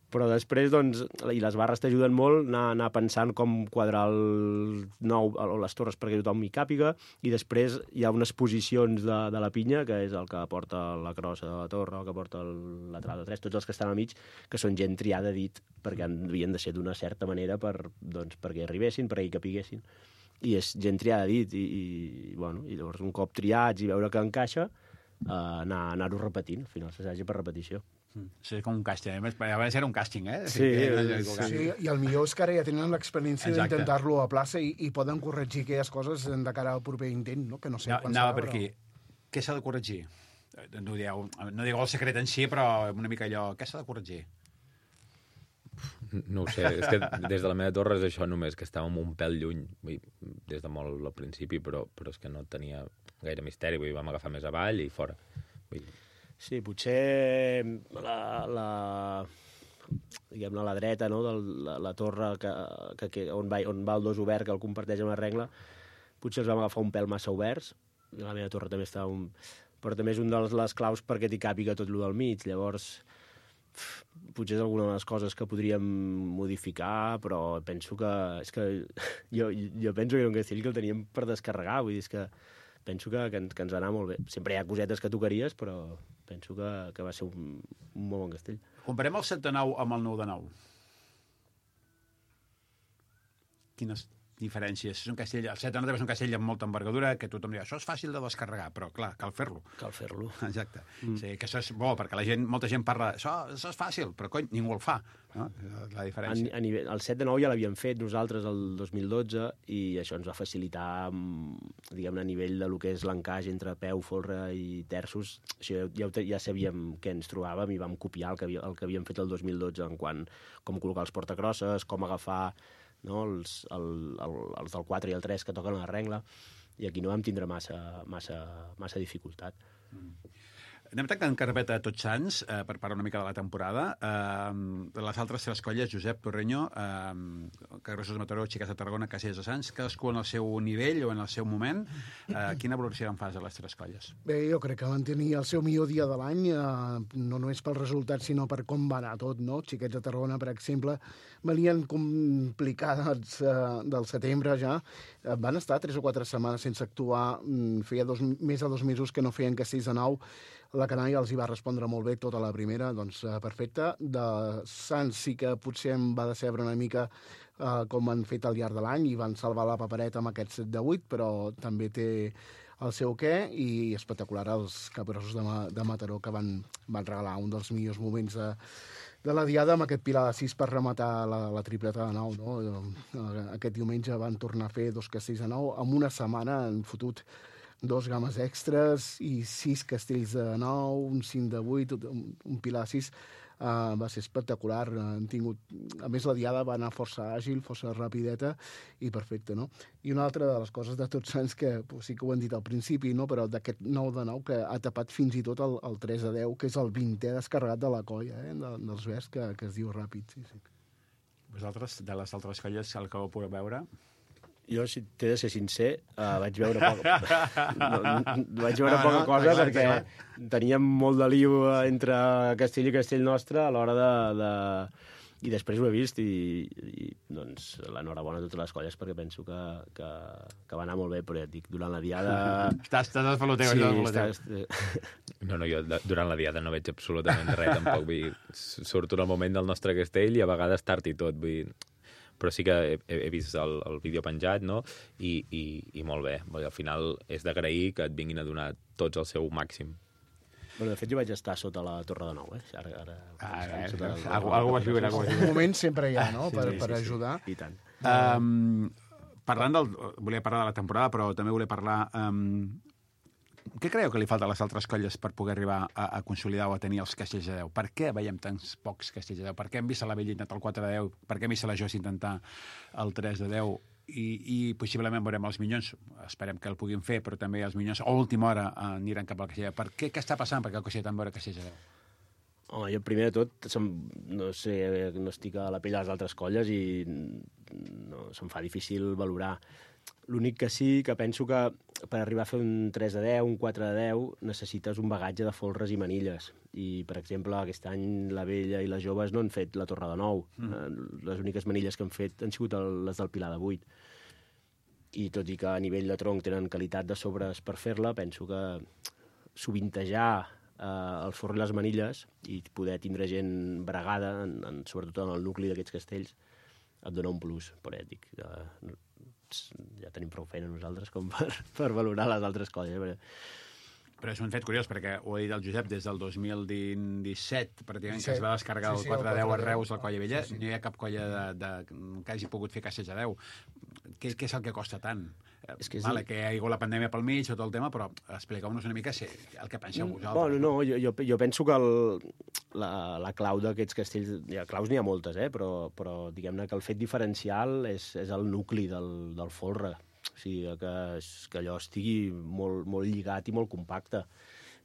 Però després, doncs, i les barres t'ajuden molt anar, anar pensant com quadrar el nou o les torres perquè tothom hi càpiga, i després hi ha unes posicions de, de la pinya, que és el que porta la crossa de la torre, el que porta el lateral de tres, tots els que estan al mig, que són gent triada a dit, perquè havien de ser d'una certa manera per, doncs, perquè arribessin, perquè hi capiguessin. I és gent triada a dit, i, i, bueno, i llavors un cop triats i veure que encaixa, eh, anar, anar-ho repetint, al final s'assaja per repetició. Sí, com un càsting. A vegades era un càsting, eh? Sí, sí, sí, i el millor és que ara ja tenen l'experiència d'intentar-lo a plaça i, i poden corregir aquelles coses de cara al proper intent, no? Que no sé no, quan anava serà, per aquí. Però... Què s'ha de corregir? No digueu, no digueu el secret en si, però una mica allò... Què s'ha de corregir? No ho sé, és que des de la meva torre és això només, que estàvem un pèl lluny, vull, des de molt al principi, però, però és que no tenia gaire misteri, vull, vam agafar més avall i fora. Vull... Sí, potser la, la, diguem-ne, a la dreta, no?, de la, la torre que, que, que, on, va, on va el dos obert, que el comparteix amb la regla, potser els vam agafar un pèl massa oberts, la meva torre també està un... però també és un de les claus perquè t'hi càpiga tot lo del mig, llavors potser és alguna de les coses que podríem modificar, però penso que... És que jo, jo penso que era un castell que el teníem per descarregar, vull dir, és que penso que, que, que ens va anar molt bé. Sempre hi ha cosetes que tocaries, però penso que, que va ser un, un molt bon castell. Comparem el set de nou amb el nou de nou. Quines diferències? És un castell, el set de nou és un castell amb molta envergadura, que tothom diu, això és fàcil de descarregar, però clar, cal fer-lo. Cal fer-lo. Exacte. Mm. Sí, que això és bo, perquè la gent, molta gent parla, això, això és fàcil, però cony, ningú el fa. No? La diferència. A, a nivell, el set de nou ja l'havíem fet nosaltres el dos mil dotze i això ens va facilitar, diguem-ne, a nivell de lo que és l'encaix entre peu, folre i terços. Això ja, ja sabíem què ens trobàvem i vam copiar el que, havia, el que havíem fet el dos mil dotze en quant com col·locar els portacrosses, com agafar, no, els, el, el, els del quatre i el tres que toquen la regla, i aquí no vam tindre massa, massa, massa dificultat. Mm. Anem tancant carpeta a Tots Sants, eh, per parlar una mica de la temporada. Eh, de les altres tres colles, Josep Torreño, eh, Carrossos de Mataró, Xiques de Tarragona, Castellers de Sants, cadascú en el seu nivell o en el seu moment. Eh, quina valoració en fas a les tres colles? Bé, jo crec que van tenir el seu millor dia de l'any, eh, no només pel resultat, sinó per com va anar tot, no? Xiquets de Tarragona, per exemple, venien complicats eh, del setembre ja. Eh, van estar tres o quatre setmanes sense actuar, feia dos, més de dos mesos que no feien castells de nou. La canalla els hi va respondre molt bé tota la primera, doncs eh, perfecte. De Sants sí que potser em va decebre una mica eh, com han fet al llarg de l'any i van salvar la papereta amb aquest set de vuit, però també té el seu què, i espectacular els Capgrossos de, Ma de Mataró, que van, van regalar un dels millors moments de, de la diada amb aquest pilar de sis per rematar la, la tripleta de nou. No? Aquest diumenge van tornar a fer dos castells de nou. En una setmana han fotut dos games extres i sis castells de nou, un cinc de vuit, un, un pilar de sis. Uh, va ser espectacular. Han tingut... A més, la diada va anar força àgil, força rapideta i perfecte, no? I una altra de les coses de Tots Sants, que pues, sí que ho hem dit al principi, no? Però d'aquest nou de nou, que ha tapat fins i tot el, el tres de deu, que és el vintè descarregat de la colla, eh? de, dels verds, que, que es diu ràpid, sí, sí. Vosaltres, de les altres colles, el que vau poder veure... Jo, si t'he de ser sincer, uh, vaig veure poca, no, vaig veure no, poca no, cosa clar, perquè clar. Teníem molt de lío entre Castell i Castell Nostre a l'hora de, de... I després ho he vist i, i doncs, l'enhorabona a totes les colles perquè penso que, que, que va anar molt bé, però ja et dic, durant la diada... Estàs, estàs esfaloteu, sí, estàs estàs... No, no, jo durant la diada no veig absolutament res, tampoc. Vull dir, surto en el moment del nostre castell i a vegades tard i tot, vull dir... Però sí que he, he vist el, el vídeo penjat, no? I, i, i molt bé. Al final és d'agrair que et vinguin a donar tots el seu màxim. Bueno, de fet, jo vaig estar sota la Torre de Nou, eh? Ara, ara, ah, eh, sota eh, algú, algú vas viure, algú vas viure. Un moment sempre hi ha, no?, sí, per, sí, per sí, ajudar. Sí, i tant. Um, parlant del... Volia parlar de la temporada, però també volia parlar... Um, què creieu que li falta a les altres colles per poder arribar a, a consolidar o a tenir els castells de deu? Per què veiem tants pocs castells de deu? Per què hem vist a la Vella intentar el quatre de deu? Per què hem vist a la Jos intentar el tres de deu? I, i possiblement veurem els Minyons. Esperem que el puguin fer, però també els Minyons a última hora aniran cap al castell de deu. Per què? Què està passant perquè el castell tant veure castells de deu? Home, jo primer de tot, som, no sé, no estic a la pell de les altres colles i no, se'm fa difícil valorar. L'únic que sí que penso que per arribar a fer un tres de deu, un quatre de deu, necessites un bagatge de folres i manilles. I, per exemple, aquest any la vella i les joves no han fet la torre de nou. Mm. Les úniques manilles que han fet han sigut el, les del Pilar de vuit. I tot i que a nivell de tronc tenen qualitat de sobres per fer-la, penso que sovintejar eh, el forro i les manilles i poder tindre gent bregada, en, en, sobretot en el nucli d'aquests castells, et dona un plus poètic. Eh, ja tenim prou feina nosaltres com per, per valorar les altres colles. Perquè... Però és un fet curiós, perquè ho ha dit el Josep, des del dos mil disset, pràcticament, disset. que es va descarregar Sí, el sí, quatre de deu a el Reus, la colla vella, sí, sí. no hi ha cap colla de, de, que hagi pogut fer castells a deu. Què, què és el que costa tant? És que és... Vale, que hi ha hagut la pandèmia pel mig, tot el tema, però expliqueu-nos una mica si, el que penseu vosaltres. Bueno, no, jo, jo, jo penso que el, la, la clau d'aquests castells... Ja, claus n'hi ha moltes, eh? però, però diguem-ne que el fet diferencial és, és el nucli del, del folre. O sigui, que, que allò estigui molt, molt lligat i molt compacte.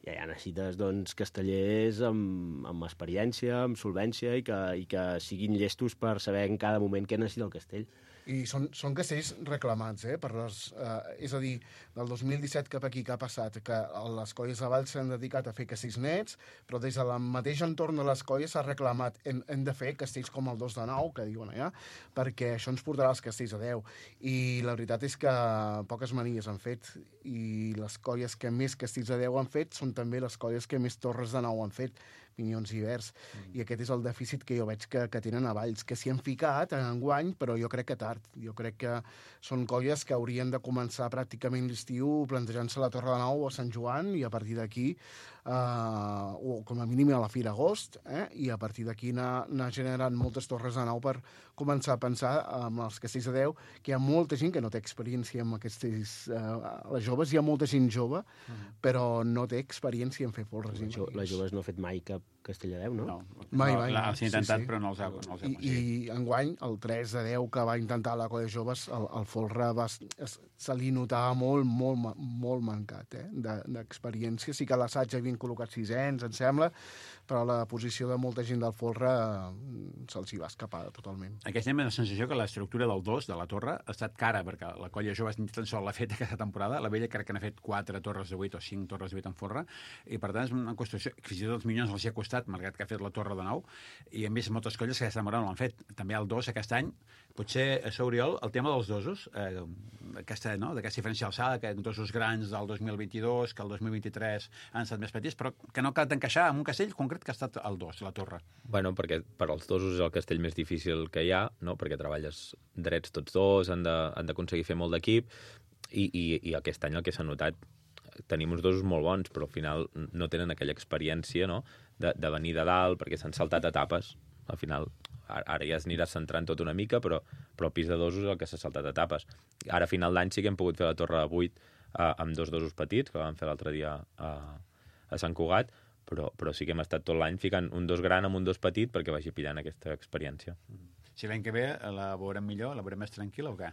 I ja necessites doncs, castellers amb, amb experiència, amb solvència i que, i que siguin llestos per saber en cada moment què necessita el castell. I són, són castells reclamats, eh? Per les, eh, és a dir, del dos mil disset cap aquí que ha passat, que les colles de Valls s'han dedicat a fer castells nets, però des del mateix entorn de les colles s'ha reclamat hem, hem de fer castells com el dos de nou, que diuen allà, perquè això ens portarà els castells a deu. I la veritat és que poques manies han fet, i les colles que més castells a deu han fet són també les colles que més torres de nou han fet, Minyons i Verds, mm. i aquest és el dèficit que jo veig que, que tenen a Valls, que s'hi han ficat en guany, però jo crec que tard. Jo crec que són colles que haurien de començar pràcticament l'estiu plantejant-se la Torre de Nou a Sant Joan i a partir d'aquí, eh, o com a mínim a la Fira Agost, eh, i a partir d'aquí anar, anar generant moltes torres de nou per començar a pensar amb els castells de deu, que hi ha molta gent que no té experiència amb castells... Eh, les joves, hi ha molta gent jove, mm. però no té experiència en fer folres. Les, jo, les joves no ha fet mai cap castell a deu, no? No, mai, no, mai. Els ha intentat, sí, sí. però no els ha, no els ha I, I enguany, el tres de deu que va intentar la colla joves, el, el folre va, es, se li notava molt, molt, molt mancat, eh, d'experiència. Sí que a l'assaig havien col·locat sisens, em sembla, però la posició de molta gent del folre eh, se'ls hi va escapar totalment. Aquest any la sensació que l'estructura del dos, de la torre, ha estat cara, perquè la colla jove ni tan sol l'ha fet aquesta temporada, la vella crec que n'ha fet quatre torres de vuit o cinc torres de vuit en folre, i per tant és una qüestió, fins i tot els Minyons els hi ha costat, malgrat que ha fet la torre de nou, i hem vist moltes colles que aquesta temporada no l'han fet. També el dos aquest any, potser a Oriol, el tema dels dosos, eh, aquesta, no? d'aquesta diferència alçada, que dosos grans del dos mil vint-i-dos, que el dos mil vint-i-tres han estat més petits, però que no cal encaixar en un castell concret que ha estat el dos, la torre. Bueno, perquè per als dosos és el castell més difícil que hi ha, no? Perquè treballes drets tots dos, han d'aconseguir fer molt d'equip, i, i, i aquest any el que s'ha notat, tenim uns dosos molt bons, però al final no tenen aquella experiència, no?, de, de venir de dalt, perquè s'han saltat etapes. Al final, ara ja es anirà centrant tot una mica, però, però el pis de dosos és el que s'ha saltat etapes. Ara, a final d'any, sí que hem pogut fer la torre de vuit eh, amb dos dosos petits, que vam fer l'altre dia a, a Sant Cugat, però, però sí que hem estat tot l'any ficant un dos gran amb un dos petit perquè vagi pillant aquesta experiència. Si l'any que ve la veurem millor, la veurem més tranquil·la o què?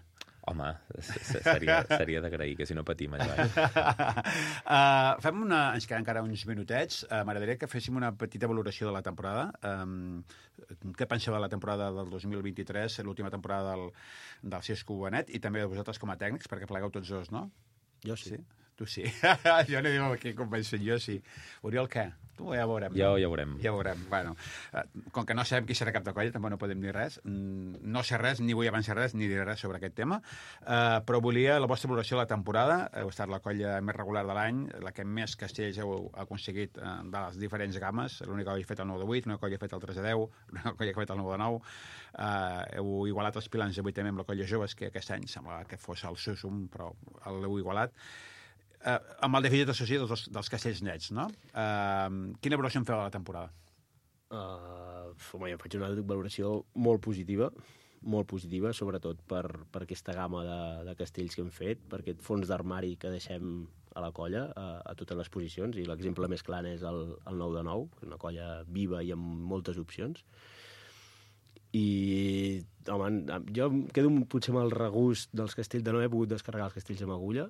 Home, seria, seria d'agrair, que si no patim allà. uh, fem una... Ens queden encara uns minutets. Uh, M'agradaria que féssim una petita valoració de la temporada. Um, què penseu de la temporada del dos mil vint-i-tres, l'última temporada del, del Cesco Benet, i també de vosaltres com a tècnics, perquè plegueu tots dos, no? Jo sí. sí? Tu sí. Jo no diu aquí com penso, jo sí. Oriol, què? Tu ja veurem. Ja, no? ja veurem. Ja veurem. Bueno, com que no sabem qui serà cap de colla, tampoc no podem dir res. No sé res, ni vull avançar res, ni dir res sobre aquest tema. Uh, però volia la vostra valoració de la temporada. Heu estat la colla més regular de l'any, la que més castells heu aconseguit uh, de les diferents games. L'única colla ha fet el nou de vuit, l'única colla ha fet el tres de deu, l'única colla ha fet el nou de nou. Uh, heu igualat els pilans de vuit també amb la colla joves, que aquest any semblava que fos el Susum, però l'heu igualat. Uh, amb el dèficit associat dels, dels castells nets, no? Uh, quina valoració en feu de la temporada? Uh, home, jo faig una valoració molt positiva, molt positiva, sobretot per, per aquesta gamma de, de castells que hem fet, per aquest fons d'armari que deixem a la colla, a, a totes les posicions, i l'exemple més clar és el, el nou de nou, una colla viva i amb moltes opcions. I, home, jo em quedo potser amb el regust dels castells, de no haver pogut descarregar els castells amb agulla.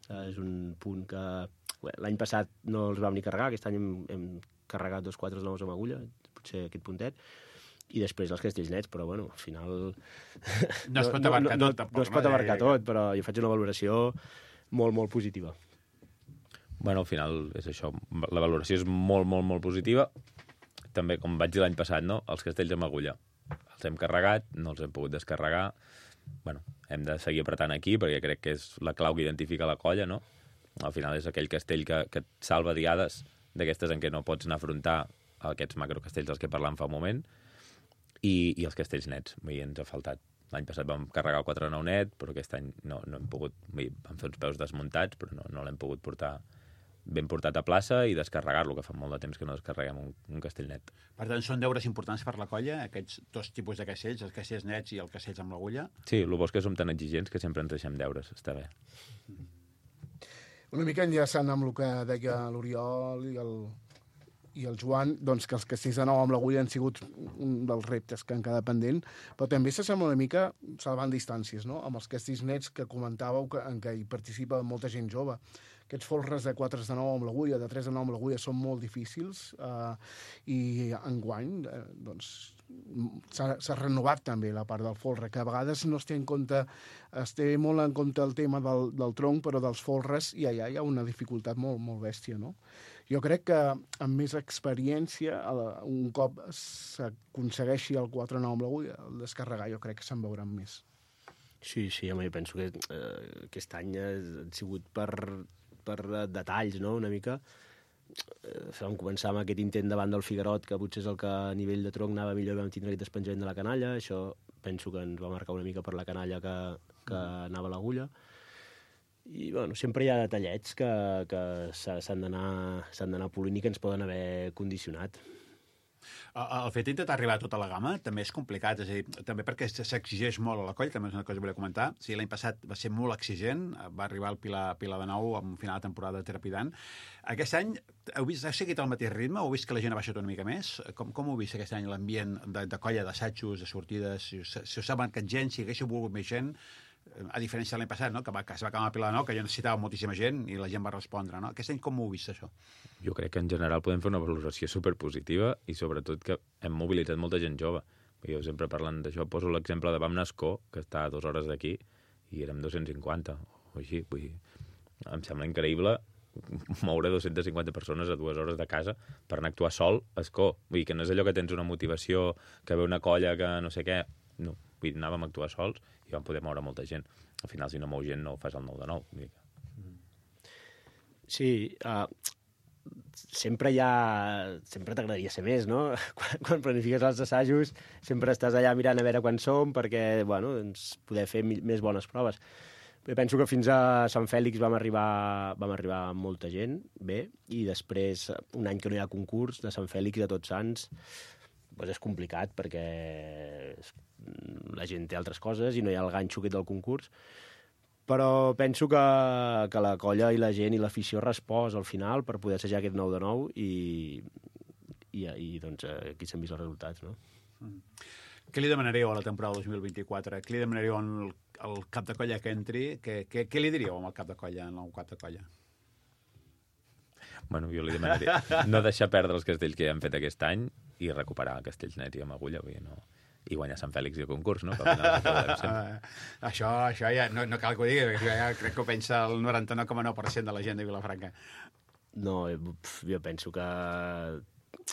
Uh, és un punt que l'any passat no els vam ni carregar, aquest any hem, hem carregat dos quatres nous amb agulla, potser aquest puntet, i després els castells nets, però bueno, al final... No es pot abarcar no, no, tot, tampoc. No es pot abarcar tot, però jo faig una valoració molt, molt positiva. Bueno, al final és això, la valoració és molt, molt, molt positiva. També, com vaig dir l'any passat, no? Els castells amb agulla. Els hem carregat, no els hem pogut descarregar. Bueno, hem de seguir apretant aquí, perquè crec que és la clau que identifica la colla, no? Al final és aquell castell que, que et salva diades d'aquestes en què no pots anar a afrontar aquests macrocastells dels que parlàvem fa un moment, i, i els castells nets. Vull dir, ens ha faltat. L'any passat vam carregar el quatre nou net, però aquest any no, no hem pogut... Vull dir, vam fer uns peus desmuntats, però no, no l'hem pogut portar ben portat a plaça i descarregar-lo, que fa molt de temps que no descarreguem un, un castell net. Per tant, són deures importants per la colla, aquests dos tipus de castells, els castells nets i els castells amb l'agulla? Sí, el bo és que som tan exigents que sempre ens deixem deures, està bé. Una mica enllaçant amb el que deia l'Oriol i el, i el Joan, doncs que els castells de nou amb l'agulla han sigut un dels reptes que han quedat pendent, però també s'assembla una mica salvant distàncies, no? Amb els castells nets que comentàveu que, en què hi participa molta gent jove. Aquests folres de quatre de nou amb l'agulla, de tres de nou amb l'agulla, són molt difícils eh, i enguany eh, doncs, s'ha renovat també la part del folre, que a vegades no es té en compte, es té molt en compte el tema del, del tronc, però dels folres ja, ja hi ha una dificultat molt, molt bèstia, no? Jo crec que amb més experiència, un cop s'aconsegueixi el quatre nou amb l'agulla, el descarregar, jo crec que se'n veuran més. Sí, sí, home, jo penso que eh, aquest any ha sigut per, per detalls, no?, una mica. Eh, vam començar amb aquest intent davant del Figuerot, que potser és el que a nivell de tronc anava millor, vam tindre aquest despenjament de la canalla, això penso que ens va marcar una mica per la canalla que, que anava a l'agulla. I, bueno, sempre hi ha detallets que, que s'han d'anar polint i que ens poden haver condicionat. El fet d'intentar arribar a tota la gamma també és complicat, és a dir, també perquè s'exigeix molt a la colla, també és una cosa que volia comentar. Sí, l'any passat va ser molt exigent, va arribar el Pilar, Pilar de nou en final de temporada trepidant. Aquest any, heu, vist, heu seguit el mateix ritme? Heu vist que la gent ha baixat una mica més? Com, com heu vist aquest any l'ambient de, de colla, d'assajos, de sortides? Si us, si us ha marcat gent, si haguéssiu volgut més gent, a diferència de l'any passat, no? que, va, que es va acabar a Pilar de nou, que ja necessitava moltíssima gent i la gent va respondre. No? Aquest any com ho heu vist, això? Jo crec que en general podem fer una valoració superpositiva i sobretot que hem mobilitzat molta gent jove. Jo sempre parlant d'això poso l'exemple de Bam Nascó, que està a dues hores d'aquí, i érem dos-cents cinquanta o així. Vull dir, em sembla increïble moure dos-centes cinquanta persones a dues hores de casa per anar a actuar sol a Escó. Vull dir que no és allò que tens una motivació, que ve una colla que no sé què. No, vull dir, anàvem a actuar sols i vam poder moure molta gent. Al final, si no mou gent, no ho fas el nou de nou. Sí, uh, sempre hi ha... Sempre t'agradaria ser més, no? Quan, quan planifiques els assajos, sempre estàs allà mirant a veure quan som perquè, bueno, doncs, poder fer més bones proves. Jo penso que fins a Sant Fèlix vam arribar, vam arribar amb molta gent, bé, i després, un any que no hi ha concurs, de Sant Fèlix a Tots Sants, doncs és complicat perquè la gent té altres coses i no hi ha el ganxo aquest del concurs, però penso que, que la colla i la gent i l'afició respòs al final per poder assajar aquest nou de nou i, i, i doncs aquí s'han vist els resultats, no? Mm. Què li demanaríeu a la temporada dos mil vint-i-quatre? Què li demanaríeu al, al cap de colla que entri? Què, què, què li diríeu al cap de colla, al nou cap de colla? Bueno, jo li demanaria no deixar perdre els castells que ja hem fet aquest any i recuperar castells nets i amb agulla, vull dir, no... i guanyar Sant Fèlix i el concurs, no? això, això ja no, no cal que ho digui, perquè ja crec que ho pensa el noranta-nou coma nou per cent de la gent de Vilafranca. No, jo penso que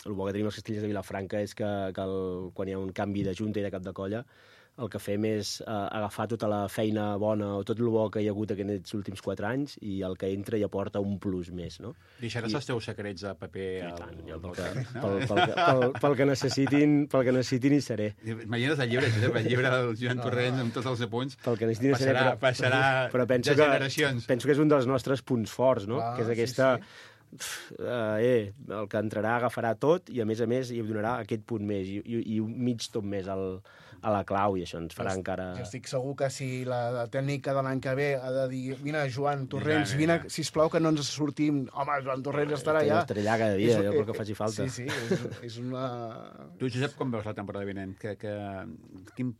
el bo que tenim els castellers de Vilafranca és que, que el, quan hi ha un canvi de junta i de cap de colla, el que fem és eh, agafar tota la feina bona o tot el bo que hi ha hagut aquests últims quatre anys i el que entra i aporta un plus més, no? Deixaràs I... els teus secrets a paper... I tant, jo pel que, pel, pel, pel, pel, que necessitin, pel que necessitin hi seré. Imagina't el llibre, el llibre del Joan Torrent amb tots els apunts. Pel que necessitin passarà, seré, però, passarà però penso de generacions. Que, penso que és un dels nostres punts forts, no? Ah, que és aquesta... Sí, sí. Uh, eh, el que entrarà agafarà tot i a més a més hi donarà aquest punt més i, i, i un mig tot més al, a la clau i això ens farà jo, encara... Jo estic segur que si la, la tècnica de l'any que ve ha de dir vine Joan Torrents, vine, sisplau que no ens sortim, home, Joan Torrents estarà allà. Estaré allà cada dia, és, jo pel que faci falta. Sí, sí, és, és una... Tu, Josep, com veus la temporada vinent? Que, que, quin,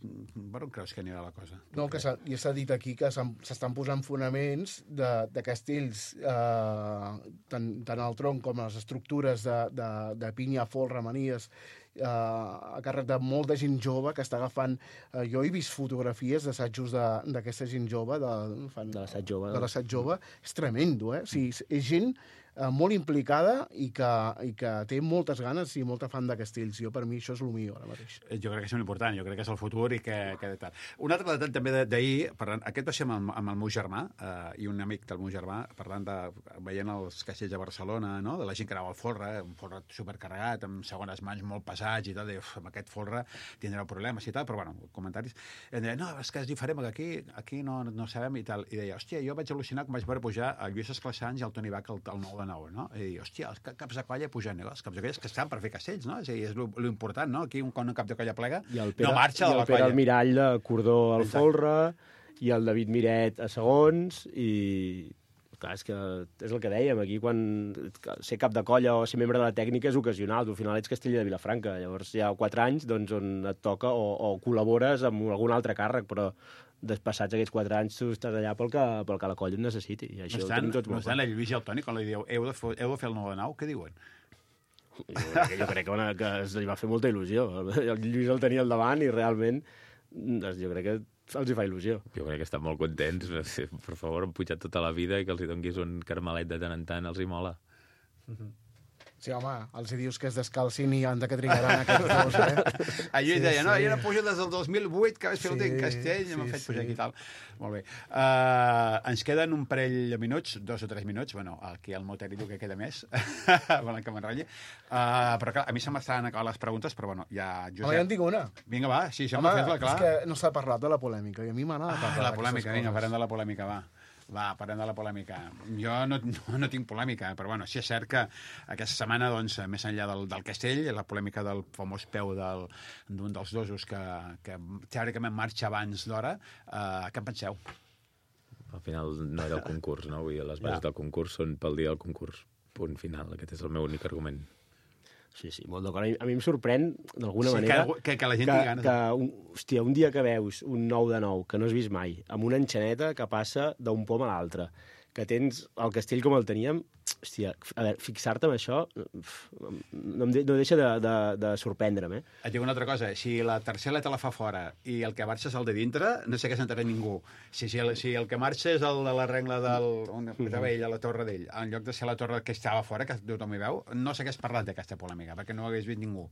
per on creus que anirà la cosa? No, que ja s'ha dit aquí que s'estan posant fonaments de, de castells eh, tant, tant al tronc com a les estructures de, de, de pinya, folre, manies, eh, a càrrec de molta gent jove que està agafant... Eh, jo he vist fotografies d'assajos d'aquesta gent jove, de, fan, de l'assaig jove. De l'assaig jove. És tremendo, eh? O sigui, és gent eh, molt implicada i que, i que té moltes ganes i molta fan de castells. Jo, per mi, això és el millor ara mateix. Jo crec que és molt important, jo crec que és el futur i que... que tal. Un altre detall també d'ahir, parlant, aquest va ser amb el, amb el meu germà eh, i un amic del meu germà, parlant de, veient els castells de Barcelona, no? De la gent que anava al folre, un folre supercarregat, amb segones mans molt pesats i tal, i uf, amb aquest folre tindreu problemes i tal, però bueno, comentaris. I em deia, no, és que és diferent, perquè aquí, aquí no, no sabem i tal. I deia, hòstia, jo vaig al·lucinar quan vaig veure pujar el Lluís Esclassans i el Toni Bach, el, el nou de nou, no? I deia, hòstia, els caps de colla pugen, els caps de colla que estan per fer castells, no? És, és l'important, no? Aquí un, un cap de colla plega Pere, no marxa de la colla. I el Pere Almirall de cordó al Exacte. Folre, i el David Miret a segons, i... Clar, és que és el que dèiem, aquí quan ser cap de colla o ser membre de la tècnica és ocasional, tu al final ets Castella de Vilafranca, llavors hi ha quatre anys doncs, on et toca o, o col·labores amb algun altre càrrec, però despassats aquests quatre anys tu estàs allà pel que, pel que la colla et necessiti. I això no estan, no estan la Lluís i el Toni, quan li dieu heu de, fer, heu de fer el nou de nou, què diuen? Jo crec, jo crec que, que es li va fer molta il·lusió. El Lluís el tenia al davant i realment jo crec que els hi fa il·lusió. Jo crec que estan molt contents. Per favor, han pujat tota la vida i que els hi donguis un carmelet de tant en tant els hi mola. Mm-hmm. Sí, home, els hi dius que es descalcin i han de que trigaran aquests dos, eh? A Lluís sí, deia, no, jo no pujo des del dos mil vuit, que vaig fer l'últim sí, castell, i sí, m'han fet pujar sí. aquí i tal. Molt bé. Uh, ens queden un parell de minuts, dos o tres minuts, bueno, aquí el meu tècnic diu que queda més, volen que m'enrotlli. Uh, però clar, a mi se m'estan acabant les preguntes, però bueno, ja... Josep... Home, ja en tinc una. Vinga, va, sí, això m'ha fet-la, clar. És que no s'ha parlat de la polèmica, i a mi m'agrada parlar ah, la polèmica, vinga, parlem de la polèmica, va. Va, parlem de la polèmica. Jo no, no, no tinc polèmica, però bueno, sí és cert que aquesta setmana, doncs, més enllà del, del castell, la polèmica del famós peu del, d'un dels dosos que, que teòricament marxa abans d'hora, eh, què en penseu? Al final no era el concurs, no? Vull dir, les bases ja. del concurs són pel dia del concurs. Punt final. Aquest és el meu únic argument. Sí, sí, molt d'acord. A mi em sorprèn, d'alguna sí, manera... Que, que, que la gent que, tingui ganes. Que, un, hòstia, un dia que veus un nou de nou, que no has vist mai, amb una enxaneta que passa d'un pom a l'altre, que tens el castell com el teníem, hòstia, a veure, fixar-te en això no, em de, no deixa de, de, de sorprendre'm, eh? Et dic una altra cosa, si la tercera te la fa fora i el que marxa és el de dintre, no sé què s'entrarà ningú. Si, si, el, si el que marxa és el de la regla del... on estava ell, a la torre d'ell, en lloc de ser la torre que estava fora, que tothom hi veu, no s'hagués parlat d'aquesta polèmica, perquè no ho hagués vist ningú.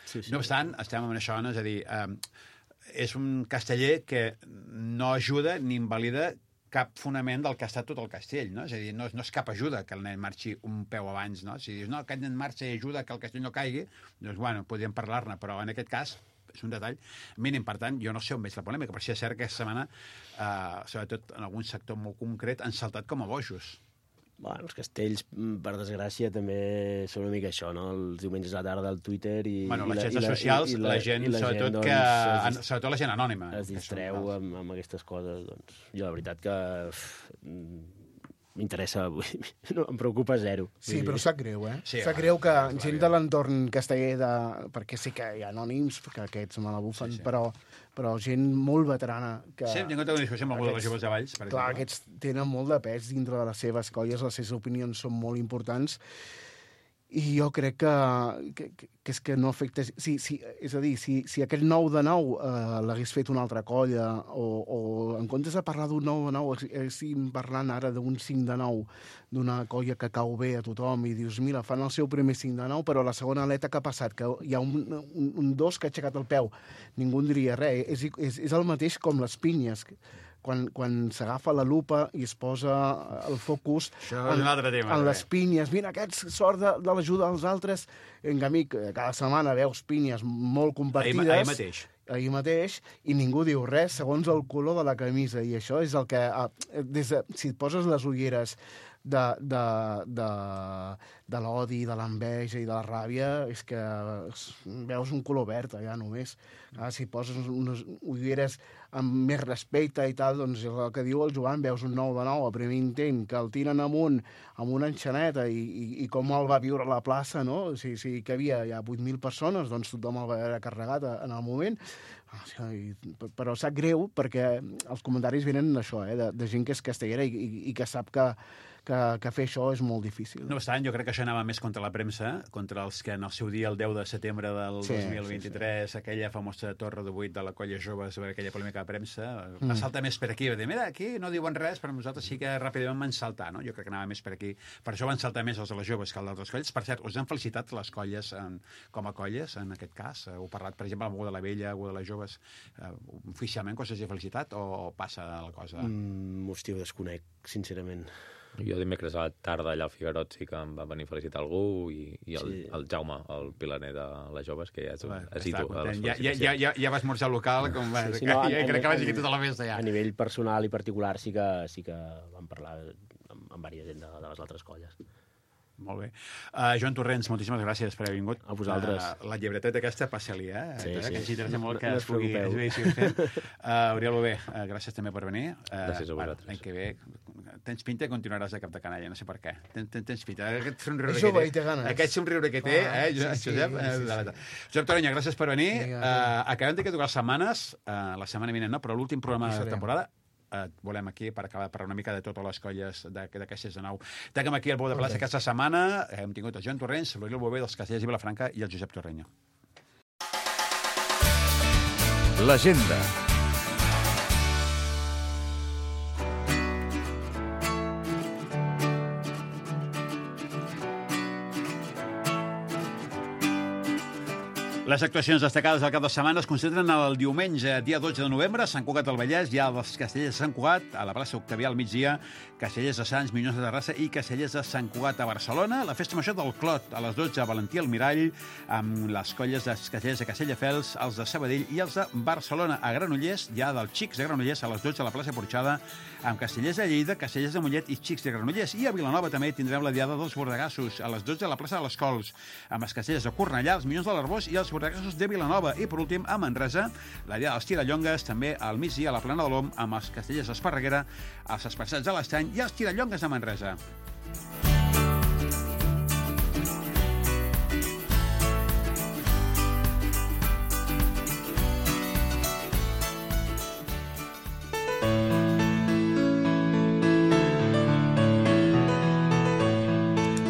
Sí, sí. No obstant, estem en això, no? És a dir, eh, és un casteller que no ajuda ni invalida cap fonament del que ha estat tot el castell, no? És a dir, no, no és cap ajuda que el nen marxi un peu abans, no? Si dius, no, aquest nen marxa i ajuda que el castell no caigui, doncs, bueno, podríem parlar-ne, però en aquest cas és un detall mínim. Per tant, jo no sé on veig la polèmica, però sí és cert que aquesta setmana, eh, sobretot en algun sector molt concret, han saltat com a bojos. Bueno, els castells, per desgràcia, també són una mica això, no? Els diumenges a la tarda al Twitter i... Bueno, les i xarxes socials, i la, la gent, la sobretot, gent, doncs, que, es, sobretot la gent anònima. Es distreu amb, amb aquestes coses, doncs. Jo, la veritat que uf, m'interessa, no, em preocupa zero. Sí, però sap greu, eh? Sí, sap greu que gent de l'entorn casteller, de... perquè sí que hi ha anònims, que aquests me la bufen, sí, sí. però... però gent molt veterana. Que sí, hem tingut una discussió amb algú de les joves de Valls, per clar, exemple. Aquests tenen molt de pes dintre de les seves colles, les seves opinions són molt importants, i jo crec que, que, que és que no afecta... Sí, sí, és a dir, si, si aquell nou de nou eh, l'hagués fet una altra colla, o, o en comptes de parlar d'un nou de nou, estem parlant ara d'un cinc de nou, d'una colla que cau bé a tothom, i dius, mira, fan el seu primer cinc de nou, però la segona aleta que ha passat, que hi ha un, un, un dos que ha aixecat el peu, ningú en diria res. És, és, és el mateix com les pinyes, quan, quan s'agafa la lupa i es posa el focus en, tema, en les pinyes. Mira, aquest sort de, de l'ajuda dels altres. En canvi, cada setmana veus pinyes molt compartides. Ahir, ahir mateix. ahir mateix, i ningú diu res segons el color de la camisa. I això és el que... Des de, si et poses les ulleres de, de, de, de l'odi, de l'enveja i de la ràbia, és que veus un color verd allà només. Ah, si poses unes ulleres amb més respecte i tal, doncs el que diu el Joan, veus un nou de nou, el primer intent, que el tiren amunt amb una enxaneta i, i, i com el va viure a la plaça, no? Si, si que havia ja vuit mil persones, doncs tothom el va haver carregat en el moment. Però sap greu perquè els comentaris venen d'això, eh? de, de gent que és castellera i, i, i que sap que, que, que fer això és molt difícil. No obstant, jo crec que això anava més contra la premsa, contra els que en el seu dia, el deu de setembre del Sí, dos mil vint-i-tres, sí, sí. aquella famosa torre de vuit de la colla jove sobre aquella polèmica de premsa, Mm. va saltar més per aquí, va dir, mira, aquí no diuen res, però nosaltres sí que ràpidament van saltar, no? Jo crec que anava més per aquí. Per això van saltar més els de les joves que els d'altres colles. Per cert, us han felicitat les colles en, com a colles, en aquest cas? Heu parlat, per exemple, amb algú de la vella, algú de les joves, eh, oficialment que us hagi felicitat o passa la cosa? Mm, hòstia, ho desconec, sincerament. Jo dimecres a la tarda allà al Figuerot sí que em va venir a felicitar algú i, i el, Sí. el Jaume, el pilaner de les joves, que ja és un Va, asidu està de les content. Ja, ja, ja, felicitacions. ja, ja vas esmorzar al local, com va, Sí, sí, que, no, ja, a- crec que a- vas seguir tota la festa ja. A nivell personal i particular sí que, sí que vam parlar amb, amb diversa gent de, de les altres colles. Molt bé. Uh, Joan Torrents, moltíssimes gràcies per haver vingut. A vosaltres. Uh, la llibreteta aquesta, passa-li, eh? Sí, eh? sí. Que ens interessa molt que No- no es us pugui... preocupeu. Es vegi fent. Uh, Oriol Bové, uh, gràcies també per venir. Uh, Gràcies a vosaltres. L'any que ve tens pinta i continuaràs de cap de canalla, no sé per què. Tens, tens, tens pinta. Aquest somriure És que jove té, i té ganes. aquest somriure que té, Ah, eh, sí, Josep? sí, Josep, sí, eh, sí. la veritat. Josep Torenya, gràcies per venir. Vinga, Uh, acabem d'aquí dues setmanes, uh, la setmana vinent no, però l'últim programa Aquí de serem. temporada et volem aquí per acabar de parlar una mica de totes les colles de, de Castellers de Nou. Tanquem aquí el Bou de Plaça aquesta setmana. Hem tingut el Joan Torrents, l'Oriol Bové dels Castellers i Vilafranca i el Josep Torrenya. L'agenda. Les actuacions destacades del cap de setmana es concentren el diumenge, dia dotze de novembre, a Sant Cugat del Vallès, hi ha els Castellers de Sant Cugat, a la plaça Octavià al migdia, Castellers de Sants, Minyons de Terrassa i Castellers de Sant Cugat a Barcelona. La festa major del Clot, a les dotze, a Valentí al Mirall, amb les colles dels Castellers de Castelldefels, els de Sabadell i els de Barcelona. A Granollers, hi ha dels Xics de Granollers, a les dotze, a la plaça Porxada, amb Castellers de Lleida, Castellers de Mollet i Xics de Granollers. I a Vilanova també tindrem la diada dels Bordegassos, a les dotze, a la plaça de les Cols, amb els Castellers de Cornellà, els Minyons de l'Arbós i els Bordegassos de Vilanova. I, per últim, a Manresa, la diada dels Tirallongues, també al migdia a la Plana de l'Om, amb els Castellers d'Esparreguera, els Esparçats de l'Estany i els Tirallongues de Manresa.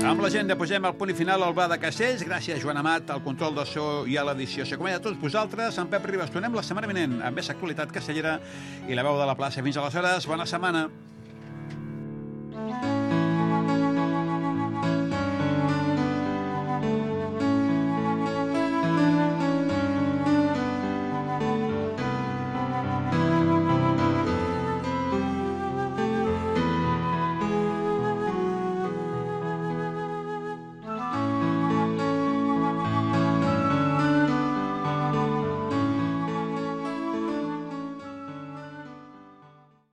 Amb l'agenda posem el punt i final al Bar de Castells. Gràcies, Joan Amat, al control del so i a l'edició. S'acompanya a tots vosaltres, en Pep Ribas. Tornem la setmana vinent amb més actualitat castellera i la veu de la plaça. Fins aleshores, bona setmana.